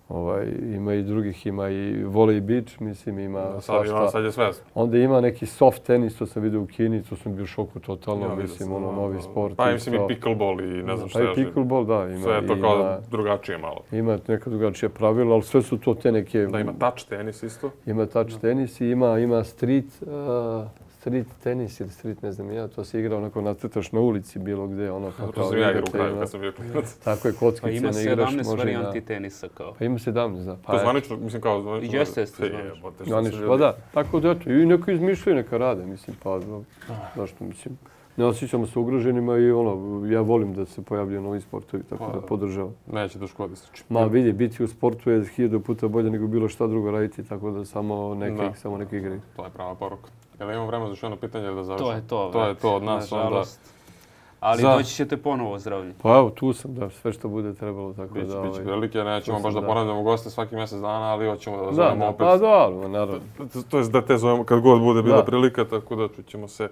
Ovaj, ima i drugih, ima i volley beach, mislim, ima da, sad, ima, sad je sve. Onda ima neki soft tenis, to sam vidio u Kini, to sam bio šoku totalno, ja, mislim, ono, novi sport. Pa mislim i pickleball i ne znam šta još. Pa i pickleball, da. Ima, sve je to kao ima, drugačije malo. Ima neka drugačija pravila, ali sve su to te neke... Da, ima touch tenis isto. Ima touch da. tenis i ima, ima street, uh, street tenis ili street, ne znam ja, to se igra onako nacrtaš na ulici bilo gde, ono pa to sam ja igrao u kraju kad sam bio klinac. Tako je, kockice ne igraš. Pa ima sedamnaest varijanti tenisa kao. Pa ima sedamnaest, da. To zvanično, mislim kao zvanično. Jeste, jeste zvanično. Zvanično, pa da. Tako da, eto, i neko izmišljaju, neka rade, mislim, pa zašto, mislim. Ne osjećamo se ugroženima i ono, ja volim da se pojavljaju novi sportovi, tako da podržavam. Neće da škodi se. Ma vidi, biti u sportu je hiljadu puta bolje nego bilo šta drugo raditi, tako da samo neke, samo neke igre. To je prava poruka. Jel imamo vremena za još jedno pitanje da završimo? To je to. To je to od nas onda. Ali za... doći ćete ponovo zdravlje. Pa evo, tu sam, da, sve što bude trebalo, tako bić, da... Biće ovaj, prilike, nećemo baš da, da ponavljamo goste svaki mjesec dana, ali hoćemo da, da zovemo da, opet. Pa da, naravno. To, to je da te zovemo kad god bude bila da. prilika, tako da ćemo se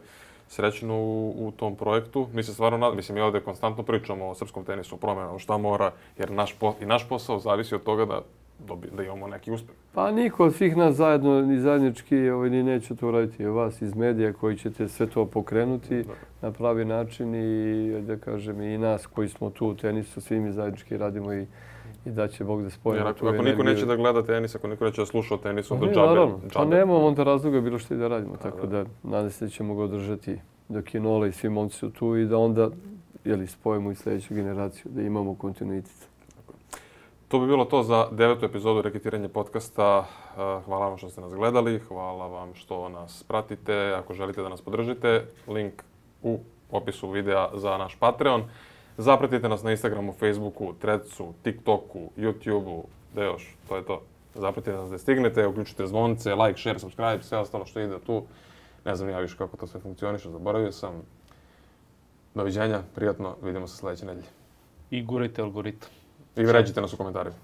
srećno u, u tom projektu. Mi se stvarno nadamo, mislim, mi ovdje konstantno pričamo o srpskom tenisu, o promjenama, šta mora, jer naš po, i naš posao zavisi od toga da Dobi, da imamo neki uspjeh. Pa niko od svih nas zajedno, ni zajednički, ovaj, ni neće to raditi. Vas iz medija koji ćete sve to pokrenuti da. na pravi način i, da kažem, i nas koji smo tu u tenisu, svi mi zajednički radimo i, i da će Bog da spojimo jer, tu ako energiju. niko neće da gleda tenis, ako niko neće da sluša o tenisu, onda ne, džabe. Naravno, džabe. pa nemamo onda razloga bilo što i da radimo, da, tako da, da nadam se da ćemo ga održati dok je Nola i svi momci su tu i da onda jeli, spojimo i sljedeću generaciju, da imamo kontinuitet. To bi bilo to za devetu epizodu Reketiranje podcasta. Hvala vam što ste nas gledali, hvala vam što nas pratite. Ako želite da nas podržite, link u opisu videa za naš Patreon. Zapratite nas na Instagramu, Facebooku, Threadsu, TikToku, YouTubeu, da još, to je to. Zapratite nas da stignete, uključite zvonce, like, share, subscribe, sve ostalo što ide tu. Ne znam ja više kako to sve funkcioniše, zaboravio sam. Doviđenja, prijatno, vidimo se sljedeće nedelje. I gurajte algoritam. I ređite nas u komentarima.